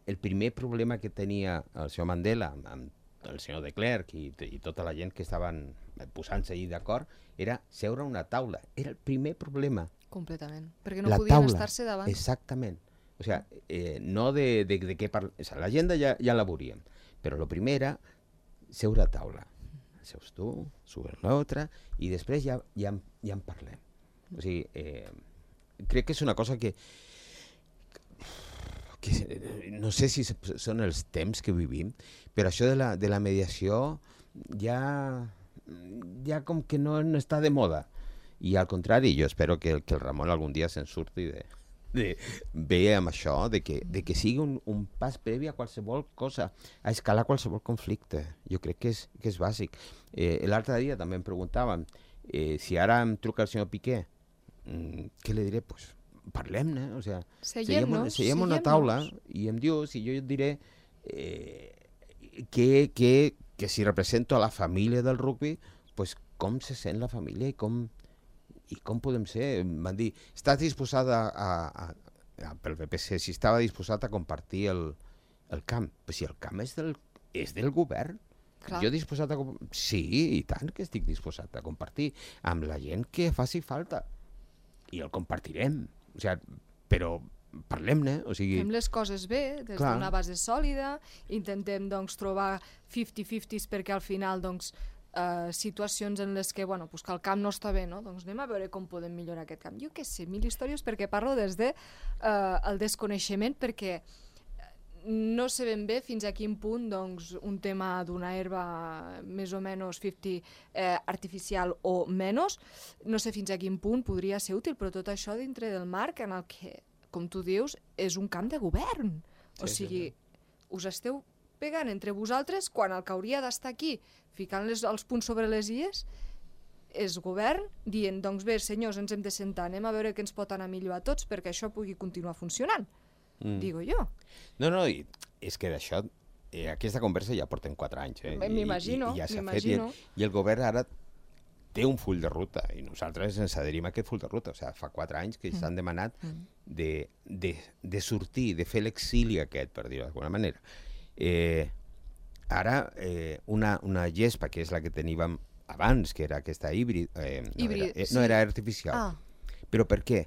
el primer problema que tenia el senyor Mandela amb el senyor de Klerk i, i tota la gent que estaven posant-se allà d'acord era seure a una taula. Era el primer problema. Completament. Perquè no la podien taula, estar-se davant. Exactament. O sea, eh, no de, de, de què parlar... O sea, l'agenda ja, ja la veuríem. Però el primer era seure a taula. Seus tu, sube l'altre, i després ja, ja, ja en parlem. O sigui, eh, crec que és una cosa que, que no sé si són els temps que vivim, però això de la, de la mediació ja, ja com que no, no està de moda. I al contrari, jo espero que, que el Ramon algun dia se'n surti de... de bé amb això, de que, de que sigui un, un pas previ a qualsevol cosa, a escalar qualsevol conflicte. Jo crec que és, que és bàsic. Eh, L'altre dia també em preguntaven eh, si ara em truca el senyor Piqué, mm, què li diré? Pues parlem-ne, o sea, seiem-nos, seiem una taula i em dius, i jo et diré eh, que, que, que si represento a la família del rugby, pues com se sent la família i com I com podem ser? Van dir, estàs disposada a, a, a, pel B P C, si estava disposat a compartir el, el camp. Però si el camp és del, és del govern. Clar. Jo disposat a... Sí, i tant que estic disposat a compartir amb la gent que faci falta. I el compartirem. O sigui, però parlem-ne. O sigui... Fem les coses bé, des d'una base sòlida, intentem doncs, trobar cinquanta cinquanta perquè al final doncs, Uh, situacions en les que, bueno, pues que el camp no està bé, no? Doncs anem a veure com podem millorar aquest camp. Jo què sé, mil històries perquè parlo des de uh, el desconeixement, perquè no sé ben bé fins a quin punt doncs, un tema d'una herba més o menys cinquanta eh, artificial o menys, no sé fins a quin punt podria ser útil, però tot això dintre del marc en el que, com tu dius, és un camp de govern. O Sí, sigui, sí, us esteu pegant entre vosaltres quan el que hauria d'estar aquí ficant les, els punts sobre les ies és govern dient, doncs bé, senyors, ens hem de sentar, anem a veure què ens pot anar millor a tots perquè això pugui continuar funcionant. Mm. Digo jo. No, no, i és que d'això, eh, aquesta conversa ja porten quatre anys, eh? M'imagino, I, i, i ja s'ha fet, i, m'imagino. el- i el govern ara té un full de ruta, i nosaltres ens adherim a aquest full de ruta. O sigui, fa quatre anys que s'han demanat de, de, de sortir, de fer l'exili aquest, per dir-ho d'alguna manera. Eh, ara, eh, una, una gespa, que és la que teníem abans, que era aquesta híbrid, eh, no, Híbrid, era, eh, sí. no era artificial. Ah. Però per què?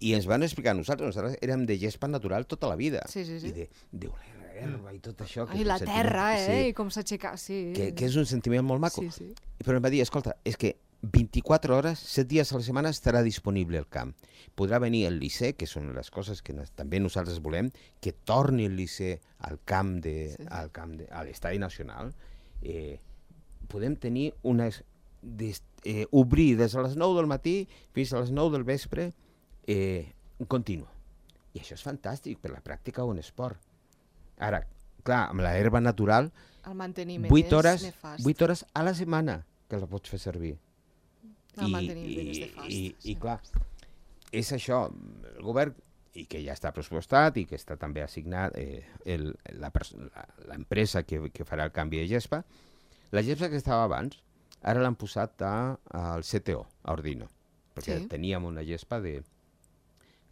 I ens van explicar a nosaltres, nosaltres érem de gespa natural tota la vida. Sí, sí, sí. I de, de una herba i tot això. Que Ai, és un la sentiment- terra, eh? sí, I com s'aixeca... Sí. que, que és un sentiment molt maco. Sí, sí. Però em va dir, escolta, és que vint-i-quatre hores, set dies a la setmana estarà disponible el camp. Podrà venir el Liceu, que són les coses que nos, també nosaltres volem, que torni el Liceu al camp de, Sí. al camp de, a l'Estadi Nacional. Eh, podem tenir unes... Des, eh, obrir des de les nou del matí fins a les nou del vespre eh, continu. I això és fantàstic per la pràctica o un esport. Ara, clar, amb la herba natural, El manteniment vuit hores, és nefast. vuit hores a la setmana que la pots fer servir. El manteniment és nefast. i, sí. i clar, és això, el govern, i que ja està pressupostat i que està també assignat eh, el, la pers- la- l'empresa que, que farà el canvi de gespa, la gespa que estava abans, ara l'han posat a, al C T O, a Ordino, perquè Sí. teníem una gespa de,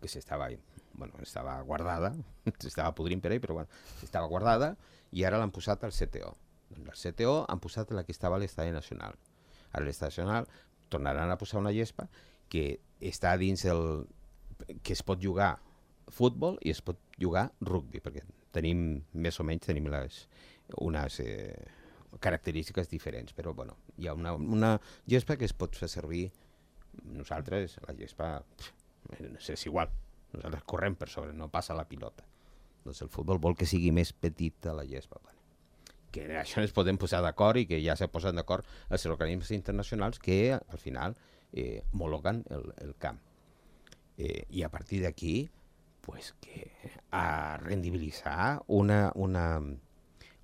que s'estava, bueno, estava guardada, s'estava podrint per ell, però bueno, estava guardada, i ara l'han posat al C T O. Doncs al C T O han posat la que estava a l'Estadi Nacional. Ara a l'Estadi Nacional tornaran a posar una gespa que està dins el... que es pot jugar futbol i es pot jugar rugby, perquè tenim, més o menys, tenim les, unes eh, característiques diferents, però bueno, hi ha una, una gespa que es pot fer servir. Nosaltres, la gespa, pff, és igual, nosaltres correm per sobre, no passa la pilota. Doncs el futbol vol que sigui més petita la gespa. Bueno, que això ens podem posar d'acord i que ja se posen d'acord els organismes internacionals que al final eh, homologuen el, el camp. Eh, I a partir d'aquí, pues, que a rendibilitzar una, una,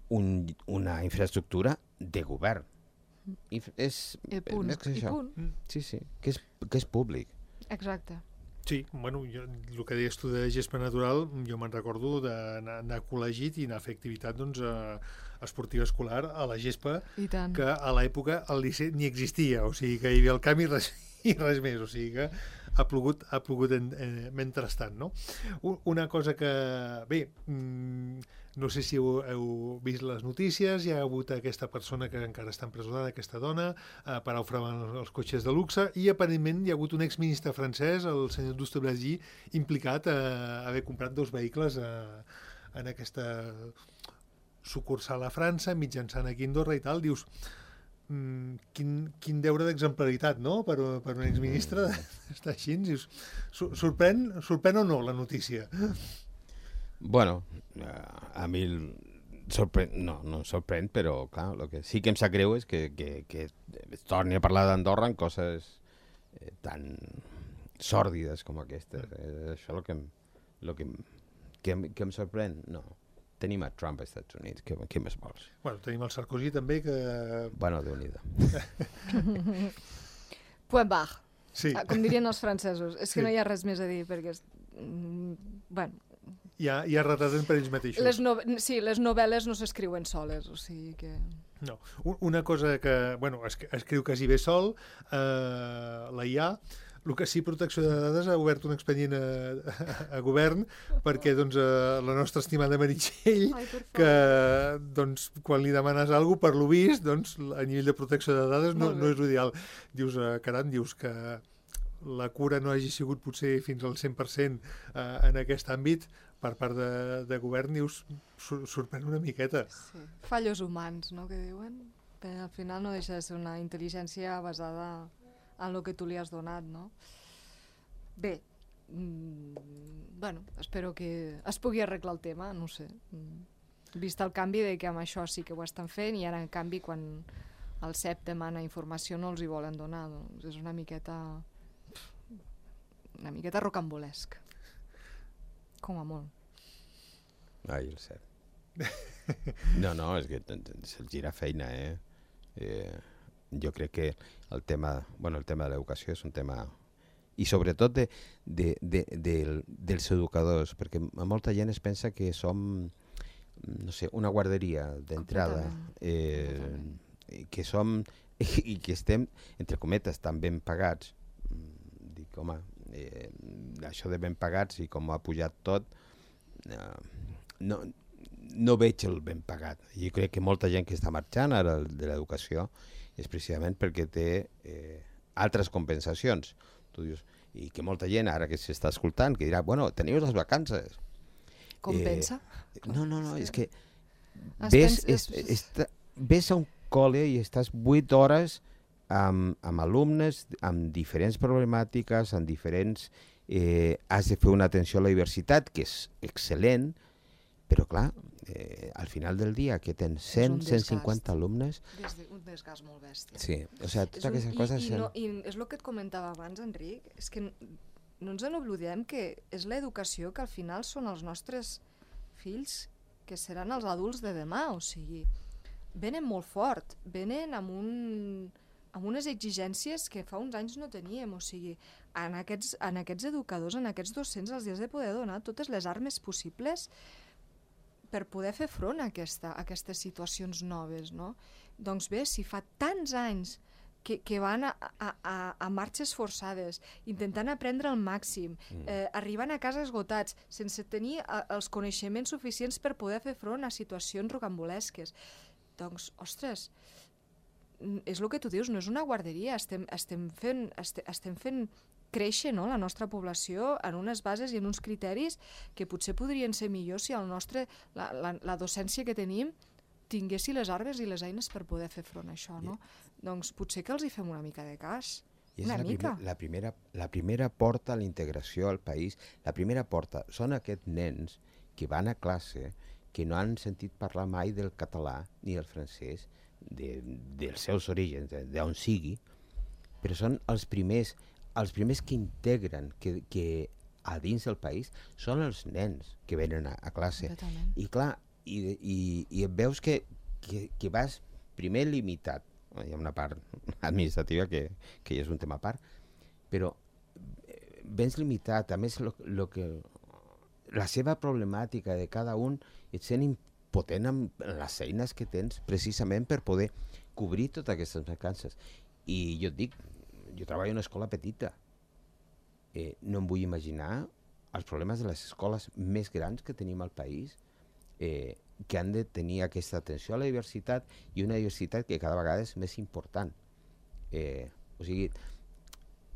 un, una infraestructura de govern. I és, I punt, més que i això. punt. Sí, sí, que és, que és públic. Exacte. Sí, bueno, jo, el que deies tu de gespa natural, jo me'n recordo d'anar anar a col·legi i anar a fer activitat doncs, eh, esportiva escolar a la gespa, I tant. que a l'època el liceu ni existia, o sigui que hi havia el camp i res, i res més, o sigui que ha plogut, ha plogut en, eh, mentrestant, no? U- Una cosa que, bé, mm, no sé si heu, heu vist les notícies, hi ha hagut aquesta persona que encara està empresonada, aquesta dona, eh, per ofregar els cotxes de luxe, i aparentment hi ha hagut un exministre francès, el senyor Douste-Blazy, implicat a haver comprat dos vehicles eh, en aquesta sucursal a França, mitjançant aquí a Andorra i tal. Dius, mm, quin, quin deure d'exemplaritat, no?, per, per un exministre estar així. Dius, "Sor- sorprèn, sorprèn o no la notícia?" Bueno, eh, a mi el sorprèn, no, no em sorprèn, però clar, el que sí que em sap greu és que, que, que es torni a parlar d'Andorra en coses eh, tan sòrdides com aquestes. Eh, això és el que, em- lo que, em- que, em- que em sorprèn. No, tenim a Trump als Estats Units, què, què més vols? Bueno, tenim el Sarkozy també, que... Bueno, Déu-n'hi-do. Point barre. Sí, Ah, com dirien els francesos. És que Sí. no hi ha res més a dir, perquè... És... mm, Bueno, ja, ja retraten per ells mateixos. les no... sí, les novel·les no s'escriuen soles, o sigui que... No. Un- Una cosa que, bueno, es, escriu quasi bé sol, eh, la I A, el que sí, Protecció de Dades ha obert un expedient a, a, a govern perquè doncs, eh, la nostra estimada Meritxell, Ai, per que doncs, quan li demanes alguna cosa, per lo vist, doncs, a nivell de protecció de dades no, Molt bé. no és ideal. Dius, eh, caram, dius que la cura no hagi sigut potser fins al cent per cent eh, en aquest àmbit per part de, de govern, dius, sor sorprèn una miqueta. Sí. Fallos humans, no?, que diuen. Però al final no deixa de ser una intel·ligència basada en el que tu li has donat, no? Bé, mm, bueno, espero que es pugui arreglar el tema, no ho sé. Mm. Vist el canvi de que amb això sí que ho estan fent i ara en canvi quan el C E P demana informació no els hi volen donar, doncs és una miqueta una miqueta rocambolesc, com a molt. Ai, el C E P. No, no, és que se'ls gira feina, eh? eh? Jo crec que el tema, bueno, el tema de l'educació és un tema... I sobretot de, de, de, de, dels educadors, perquè molta gent es pensa que som, no sé, una guarderia d'entrada, eh, que som i que estem, entre cometes, tan ben pagats. Dic, home, eh, això de ben pagats i com ha pujat tot, eh, no, no veig el ben pagat. Jo crec que molta gent que està marxant ara de l'educació és precisament perquè té eh, altres compensacions. Tu dius, i que molta gent ara que s'està escoltant que dirà, bueno, teniu les vacances. Compensa? Eh, no, no, no, sí. És que es ves, pens, es, es, es, ves a un col·le i estàs vuit hores amb, amb alumnes, amb diferents problemàtiques, amb diferents... Eh, has de fer una atenció a la diversitat, que és excel·lent, però clar, eh, al final del dia que tens cent, cent cinquanta alumnes... Des de, un desgast molt bèstia. Sí, o sigui, totes aquestes i, coses... I, no, I és el que et comentava abans, Enric, és que no ens en oblidem que és l'educació que al final són els nostres fills que seran els adults de demà, o sigui, venen molt fort, venen amb, un, amb unes exigències que fa uns anys no teníem, o sigui, en aquests, en aquests educadors, en aquests docents, els has de poder donar totes les armes possibles per poder fer front a, aquesta, a aquestes situacions noves, no? Doncs bé, si fa tants anys que, que van a, a, a, a marxes forçades, intentant aprendre al màxim, eh, arribant a casa esgotats, sense tenir a, els coneixements suficients per poder fer front a situacions rocambolesques, doncs, ostres, és el que tu dius, no és una guarderia, estem, estem fent... Estem, estem fent créixer, no, la nostra població en unes bases i en uns criteris que potser podrien ser millors si el nostre, la, la, la docència que tenim tinguessi les armes i les eines per poder fer front a això, no? I... Doncs potser que els hi fem una mica de cas. I és una la mica. Primer, la, primera, la primera porta a la integració al país, la primera porta són aquests nens que van a classe, que no han sentit parlar mai del català ni del francès, de, dels seus orígens, d'on sigui, però són els primers els primers que integren que, que a dins del país són els nens que venen a, a classe. I clar, i, i, i et veus que, que, que vas primer limitat, hi ha una part administrativa que, que és un tema a part, però vens limitat, a més lo, lo que, la seva problemàtica de cada un et sent impotent amb les eines que tens precisament per poder cobrir totes aquestes mancances. I jo et dic, jo treballo en una escola petita. Eh, no em vull imaginar els problemes de les escoles més grans que tenim al país, eh, que han de tenir aquesta atenció a la diversitat i una diversitat que cada vegada és més important. Eh, o sigui,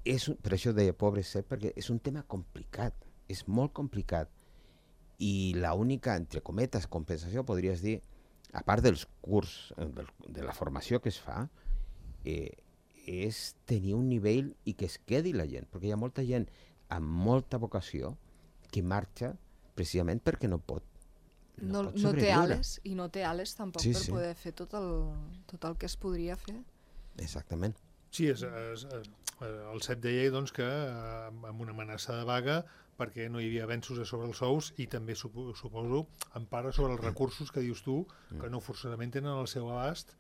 és, per això deia pobre C E P, perquè és un tema complicat, és molt complicat. I l'única, entre cometes, compensació, podries dir, a part dels curs, de, de la formació que es fa, eh, és tenir un nivell i que es quedi la gent, perquè hi ha molta gent amb molta vocació que marxa precisament perquè no pot no, no, pot no té ales i no té ales tampoc sí, per sí. poder fer tot el, tot el que es podria fer. Exactament. Sí, és, és, és, el C E P deia doncs, que amb una amenaça de vaga perquè no hi havia avenços sobre els sous i també suposo en part sobre els recursos que dius tu que no forçadament tenen el seu abast,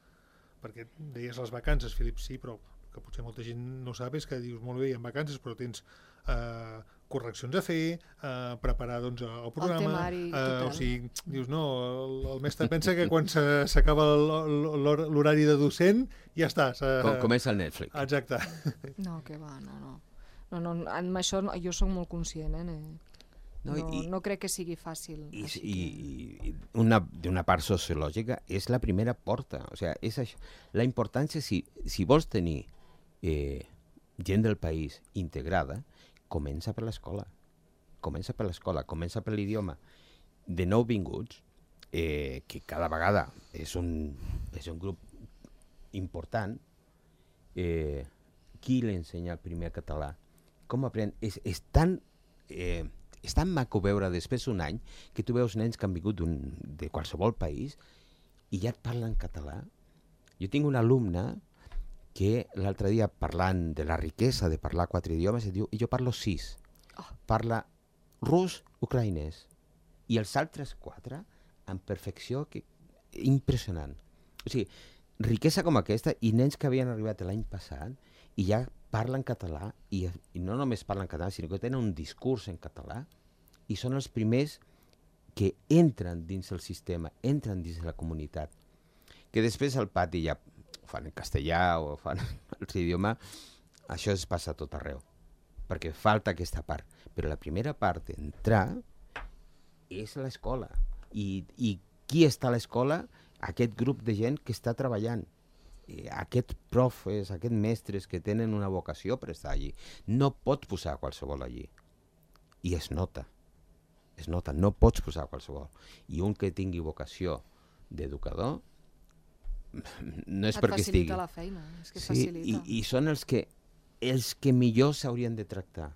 perquè deies les vacances, Filip, sí, però que potser molta gent no sap és que dius molt bé, hi ha vacances, però tens eh, correccions a fer, eh, preparar doncs, el programa, el temari, eh, o sigui, dius, no, el, el mestre pensa que quan s'acaba l'horari de docent ja estàs. Eh, Com, comença el Netflix. Exacte. No, que va, no, no. no, no amb això no, jo soc molt conscient, eh? No, no, i, no crec que sigui fàcil. I, i, i una, d'una part sociològica és la primera porta. O sigui, és això. La importància, si, si vols tenir eh, gent del país integrada, comença per l'escola. Comença per l'escola, comença per l'idioma. De nouvinguts, eh, que cada vegada és un, és un grup important, eh, qui l'ensenya el primer català? Com aprèn? És, és tan eh, és tan maco veure després d'un any que tu veus nens que han vingut de qualsevol país i ja et parlen català. Jo tinc una alumna que l'altre dia, parlant de la riquesa de parlar quatre idiomes, et diu, i jo parlo sis. Oh. Parla rus, ucraïnès. I els altres quatre, en perfecció, que... impressionant. O sigui, riquesa com aquesta, i nens que havien arribat l'any passat, i ja parlen català, i, i no només parlen català, sinó que tenen un discurs en català, i són els primers que entren dins el sistema, entren dins la comunitat. Que després al pati ja ho fan en castellà o fan l'altre idioma, això es passa a tot arreu, perquè falta aquesta part. Però la primera part d'entrar és l'escola. I, I qui està a l'escola? Aquest grup de gent que està treballant. Aquests profes, aquests mestres que tenen una vocació per estar allí. No pots posar qualsevol allí. I es nota. Es nota, no pots posar qualsevol. I un que tingui vocació d'educador, no és Et perquè estigui. facilita la feina, és que sí, facilita. I, i són els que, els que millor s'haurien de tractar.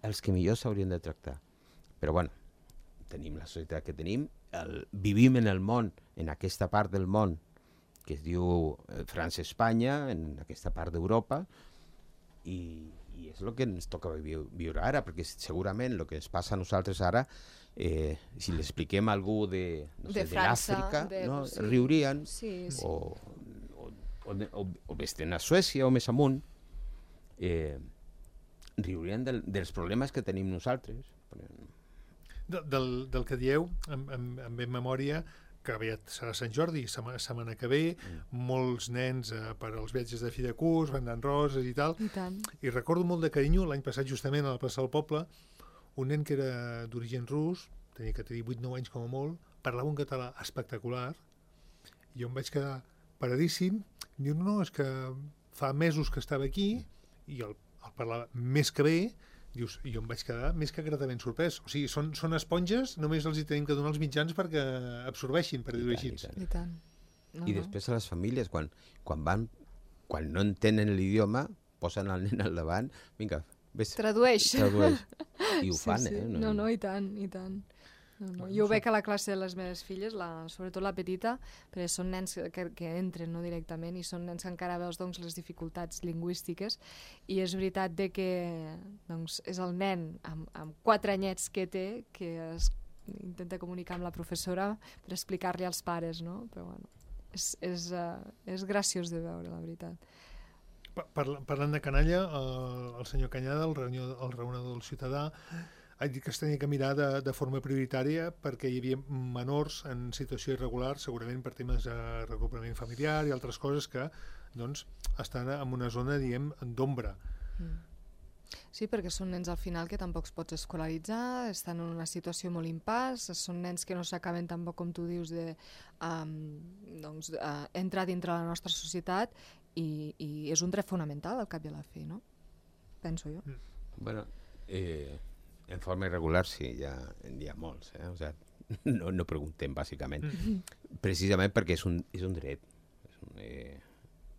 Els que millor s'haurien de tractar. Però bueno, tenim la societat que tenim, el, vivim en el món, en aquesta part del món, que es diu França-Espanya, en aquesta part d'Europa, i, i és el que ens toca vi- viure ara, perquè segurament el que ens passa a nosaltres ara, eh, si l'expliquem a algú de, no sé, De de França, l'Àfrica, de- no? sí. riurien, Sí, sí. o, o, o, o, o vés-te'n a Suècia o més amunt, eh, riurien del, dels problemes que tenim nosaltres. De, del, del que dieu, em, em, em ve en memòria que aviat serà Sant Jordi, setmana, setmana que ve, mm. molts nens eh, per als viatges de fi de curs, vendant roses i tal, I tant. i recordo molt de carinyo, l'any passat justament a la plaça del Poble, un nen que era d'origen rus, tenia que tenir vuit o nou anys com a molt, parlava un català espectacular, i jo em vaig quedar paradíssim, i diu, no, és que fa mesos que estava aquí, i el, el parlava més que bé, dius, i jo em vaig quedar més que gratament sorprès. O sigui, són, són esponges, només els hi tenim que donar els mitjans perquè absorbeixin, per dir-ho així. I tant. I tant. No, I després a les famílies, quan, quan van, quan no entenen l'idioma, posen el nen al davant, vinga, vés, Tradueix. tradueix. I ho Sí, fan, sí. eh? No, no, i tant, i tant. No, no. Jo ho veig a la classe de les meves filles, la, sobretot la petita, perquè són nens que, que entren no, directament i són nens que encara veus doncs, les dificultats lingüístiques, i és veritat de que doncs, és el nen amb, amb quatre anyets que té que es intenta comunicar amb la professora per explicar-li als pares, no? Però bueno, és, és, uh, és graciós de veure, la veritat. Parla, parlant de canalla, el, el senyor Canyada, el, reunió, el raonador del ciutadà, ha dit que es tenia que mirar de, de forma prioritària perquè hi havia menors en situació irregular, segurament per temes de regrupament familiar i altres coses que doncs, estan en una zona, diguem, d'ombra. Mm. Sí, perquè són nens al final que tampoc es pots escolaritzar, estan en una situació molt impàs, són nens que no s'acaben tampoc, com tu dius, de um, doncs, uh, entrar dintre la nostra societat, i, i és un dret fonamental al cap i a la fi, no? Penso jo. Mm. Bueno, eh, en forma irregular sí, hi ha, hi ha molts, eh? O sea, no, no preguntem, bàsicament. Mm. Precisament perquè és un, és un dret. És un, eh,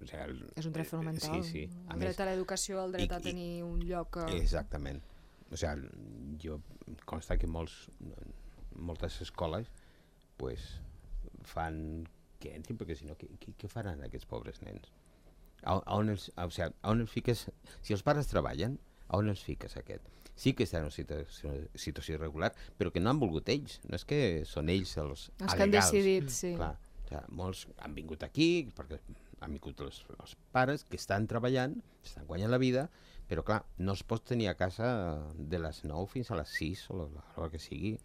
o sea, el, És un dret fonamental. Sí, sí. El dret a l'educació, el dret i- a tenir un lloc... A... Exactament. O sea, jo consta que molts, moltes escoles pues, fan que entrin, perquè si no, què, què, què faran aquests pobres nens? A, a, on els, a, o sea, a on els fiques? Si els pares treballen, a on els fiques aquest? Sí que estan en una situació, situació irregular, però que no han volgut ells. No és que són ells els Els que han alegals. decidit, sí. Clar, o sea, molts han vingut aquí perquè han vingut els, els pares que estan treballant, estan guanyant la vida, però clar, no es pot tenir a casa de les nou fins a les sis o l'hora que sigui.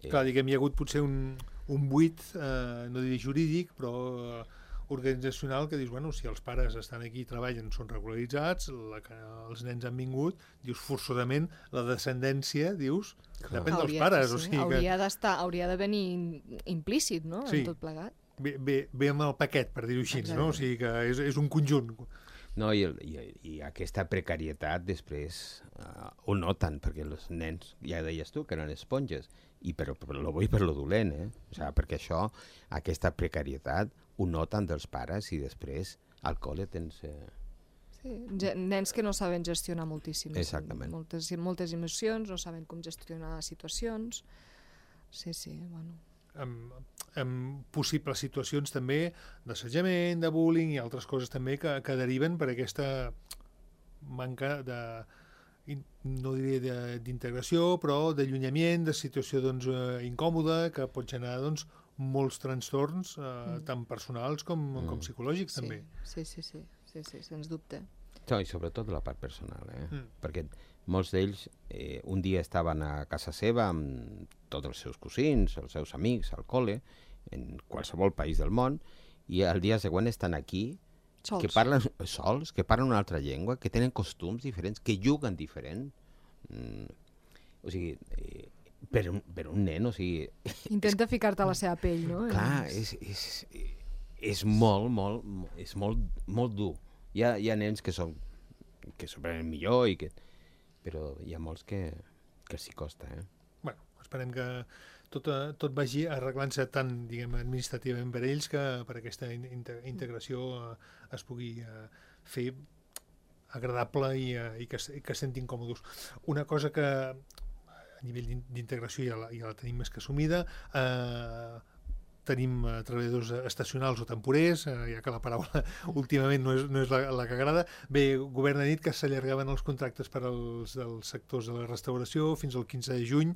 Eh, Clar, diguem, hi ha hagut potser un, un buit, eh, no diré jurídic, però eh, organitzacional, que dius, bueno, si els pares estan aquí i treballen, són regularitzats, la que els nens han vingut, dius, forçosament, la descendència, dius, Clar. depèn dels Hauria- pares, sí, o sigui que hauria d'estar, hauria de venir implícit, no?, Sí. en tot plegat. ve, ve, ve amb el paquet, per dir-ho així, Exacte. no? O sigui que és, és un conjunt. No, i, el, i, i aquesta precarietat després uh, ho noten, perquè els nens, ja deies tu, que eren esponges, i per, per lo bo i per lo dolent, eh? O sigui, perquè això, aquesta precarietat, ho noten dels pares i després al col·le tens... Eh, Sí, nens que no saben gestionar moltíssim. Exactament. Moltes, moltes emocions, no saben com gestionar situacions. Sí, sí, bueno. Amb, amb possibles situacions també d'assetjament, de bullying i altres coses també que, que deriven per aquesta manca de, no diria d'integració, però d'allunyament, de situació doncs, eh, incòmoda, que pot generar doncs, molts trastorns, eh, mm. tant personals com, mm. com psicològics sí, també. Sí, sí, sí, sí, sí, sens dubte. No, i sobretot la part personal, eh? Mm. Perquè molts d'ells eh, un dia estaven a casa seva amb tots els seus cosins, els seus amics, al col·le, en qualsevol país del món, i al dia següent estan aquí, sols. que parlen sols, que parlen una altra llengua, que tenen costums diferents, que juguen diferent. Mm, o sigui, eh, per, un, per un nen, o sigui... Intenta ficar-te a la seva pell, no? Clar, és, és, és molt, molt, és molt, molt dur. Hi ha, hi ha nens que són que s'ho prenen millor, i que, però hi ha molts que, que els hi costa, eh? Bueno, esperem que tot, tot vagi arreglant-se tant, diguem, administrativament per ells que per aquesta integració eh, es pugui eh, fer agradable i, eh, i que, que es sentin còmodes. Una cosa que a nivell d'integració ja, la, ja la tenim més que assumida, eh, tenim eh, treballadors estacionals o temporers, eh, ja que la paraula últimament no és, no és la, la que agrada. Bé, el govern ha dit que s'allargaven els contractes per als dels sectors de la restauració fins al quinze de juny.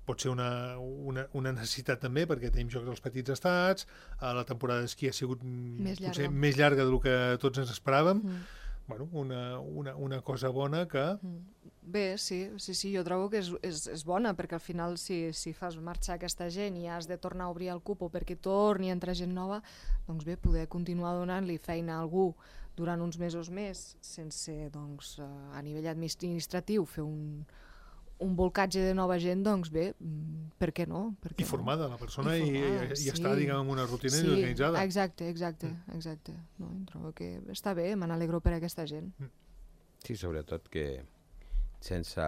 Pot ser una, una, una necessitat també, perquè tenim Jocs dels Petits Estats, eh, la temporada d'esquí ha sigut més llarga. potser més llarga del que tots ens esperàvem. Mm. Bueno, una, una, una cosa bona que... Bé, sí, sí, sí, jo trobo que és, és, és bona, perquè al final si, si fas marxar aquesta gent i has de tornar a obrir el cupo perquè torni a entrar gent nova, doncs bé, poder continuar donant-li feina a algú durant uns mesos més, sense, doncs, a nivell administratiu fer un, un volcatge de nova gent, doncs bé, per què no? Per què I formada, no? la persona, I, formada, i, i sí. està, diguem, en una rutina sí, organitzada. Exacte, exacte, exacte. No, trobo que està bé, me n'alegro per aquesta gent. Sí, sobretot que sense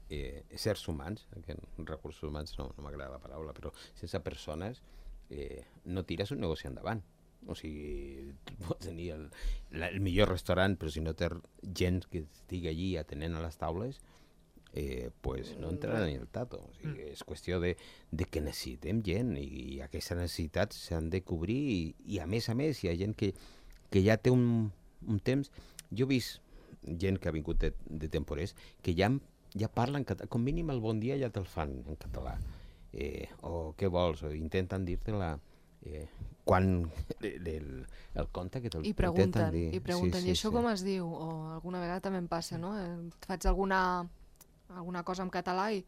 eh, éssers humans, que recursos humans no, no m'agrada la paraula, però sense persones eh, no tires un negoci endavant. O sigui, tu pots tenir el, la, el millor restaurant, però si no té gent que estigui allí atenent a les taules, eh, pues no entrarà ni el tato. O sigui, és qüestió de, de que necessitem gent i, i aquestes necessitats s'han de cobrir i, i a més a més hi ha gent que, que ja té un, un temps. Jo he vist gent que ha vingut de, de temporers que ja, ja parlen català, com mínim el bon dia ja te'l fan en català. Eh, o què vols, o intenten dir-te-la eh, quan el, el, el conte que te'l I pregunten, dir. i pregunten, sí, sí, i això sí. com es diu? O alguna vegada també em passa, no? Et faig alguna, alguna cosa en català i,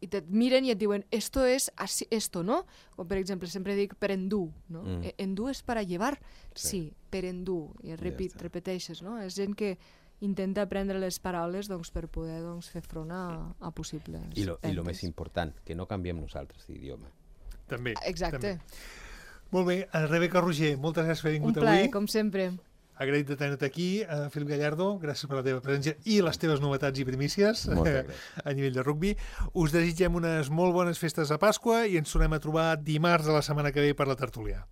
i et miren i et diuen esto es así, esto, no? O per exemple, sempre dic per endur, no? Mm. Endur és per a llevar? Sí, sí, per endur. I repet, ja repeteixes, no? És gent que intenta aprendre les paraules doncs, per poder doncs, fer front a, a possibles I lo, i lo més important, que no canviem nosaltres d'idioma. També. Exacte. També. Molt bé, Rebeca Roger, moltes gràcies per haver vingut avui. Un plaer, avui. com sempre. Agraït de tenir-te aquí. Uh, Felip Gallardo, gràcies per la teva presència i les teves novetats i primícies a nivell de rugbi. Us desitgem unes molt bones festes a Pasqua i ens tornem a trobar dimarts de la setmana que ve per la tertúlia.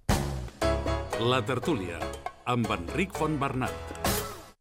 La tertúlia, amb Enric Fontbernat.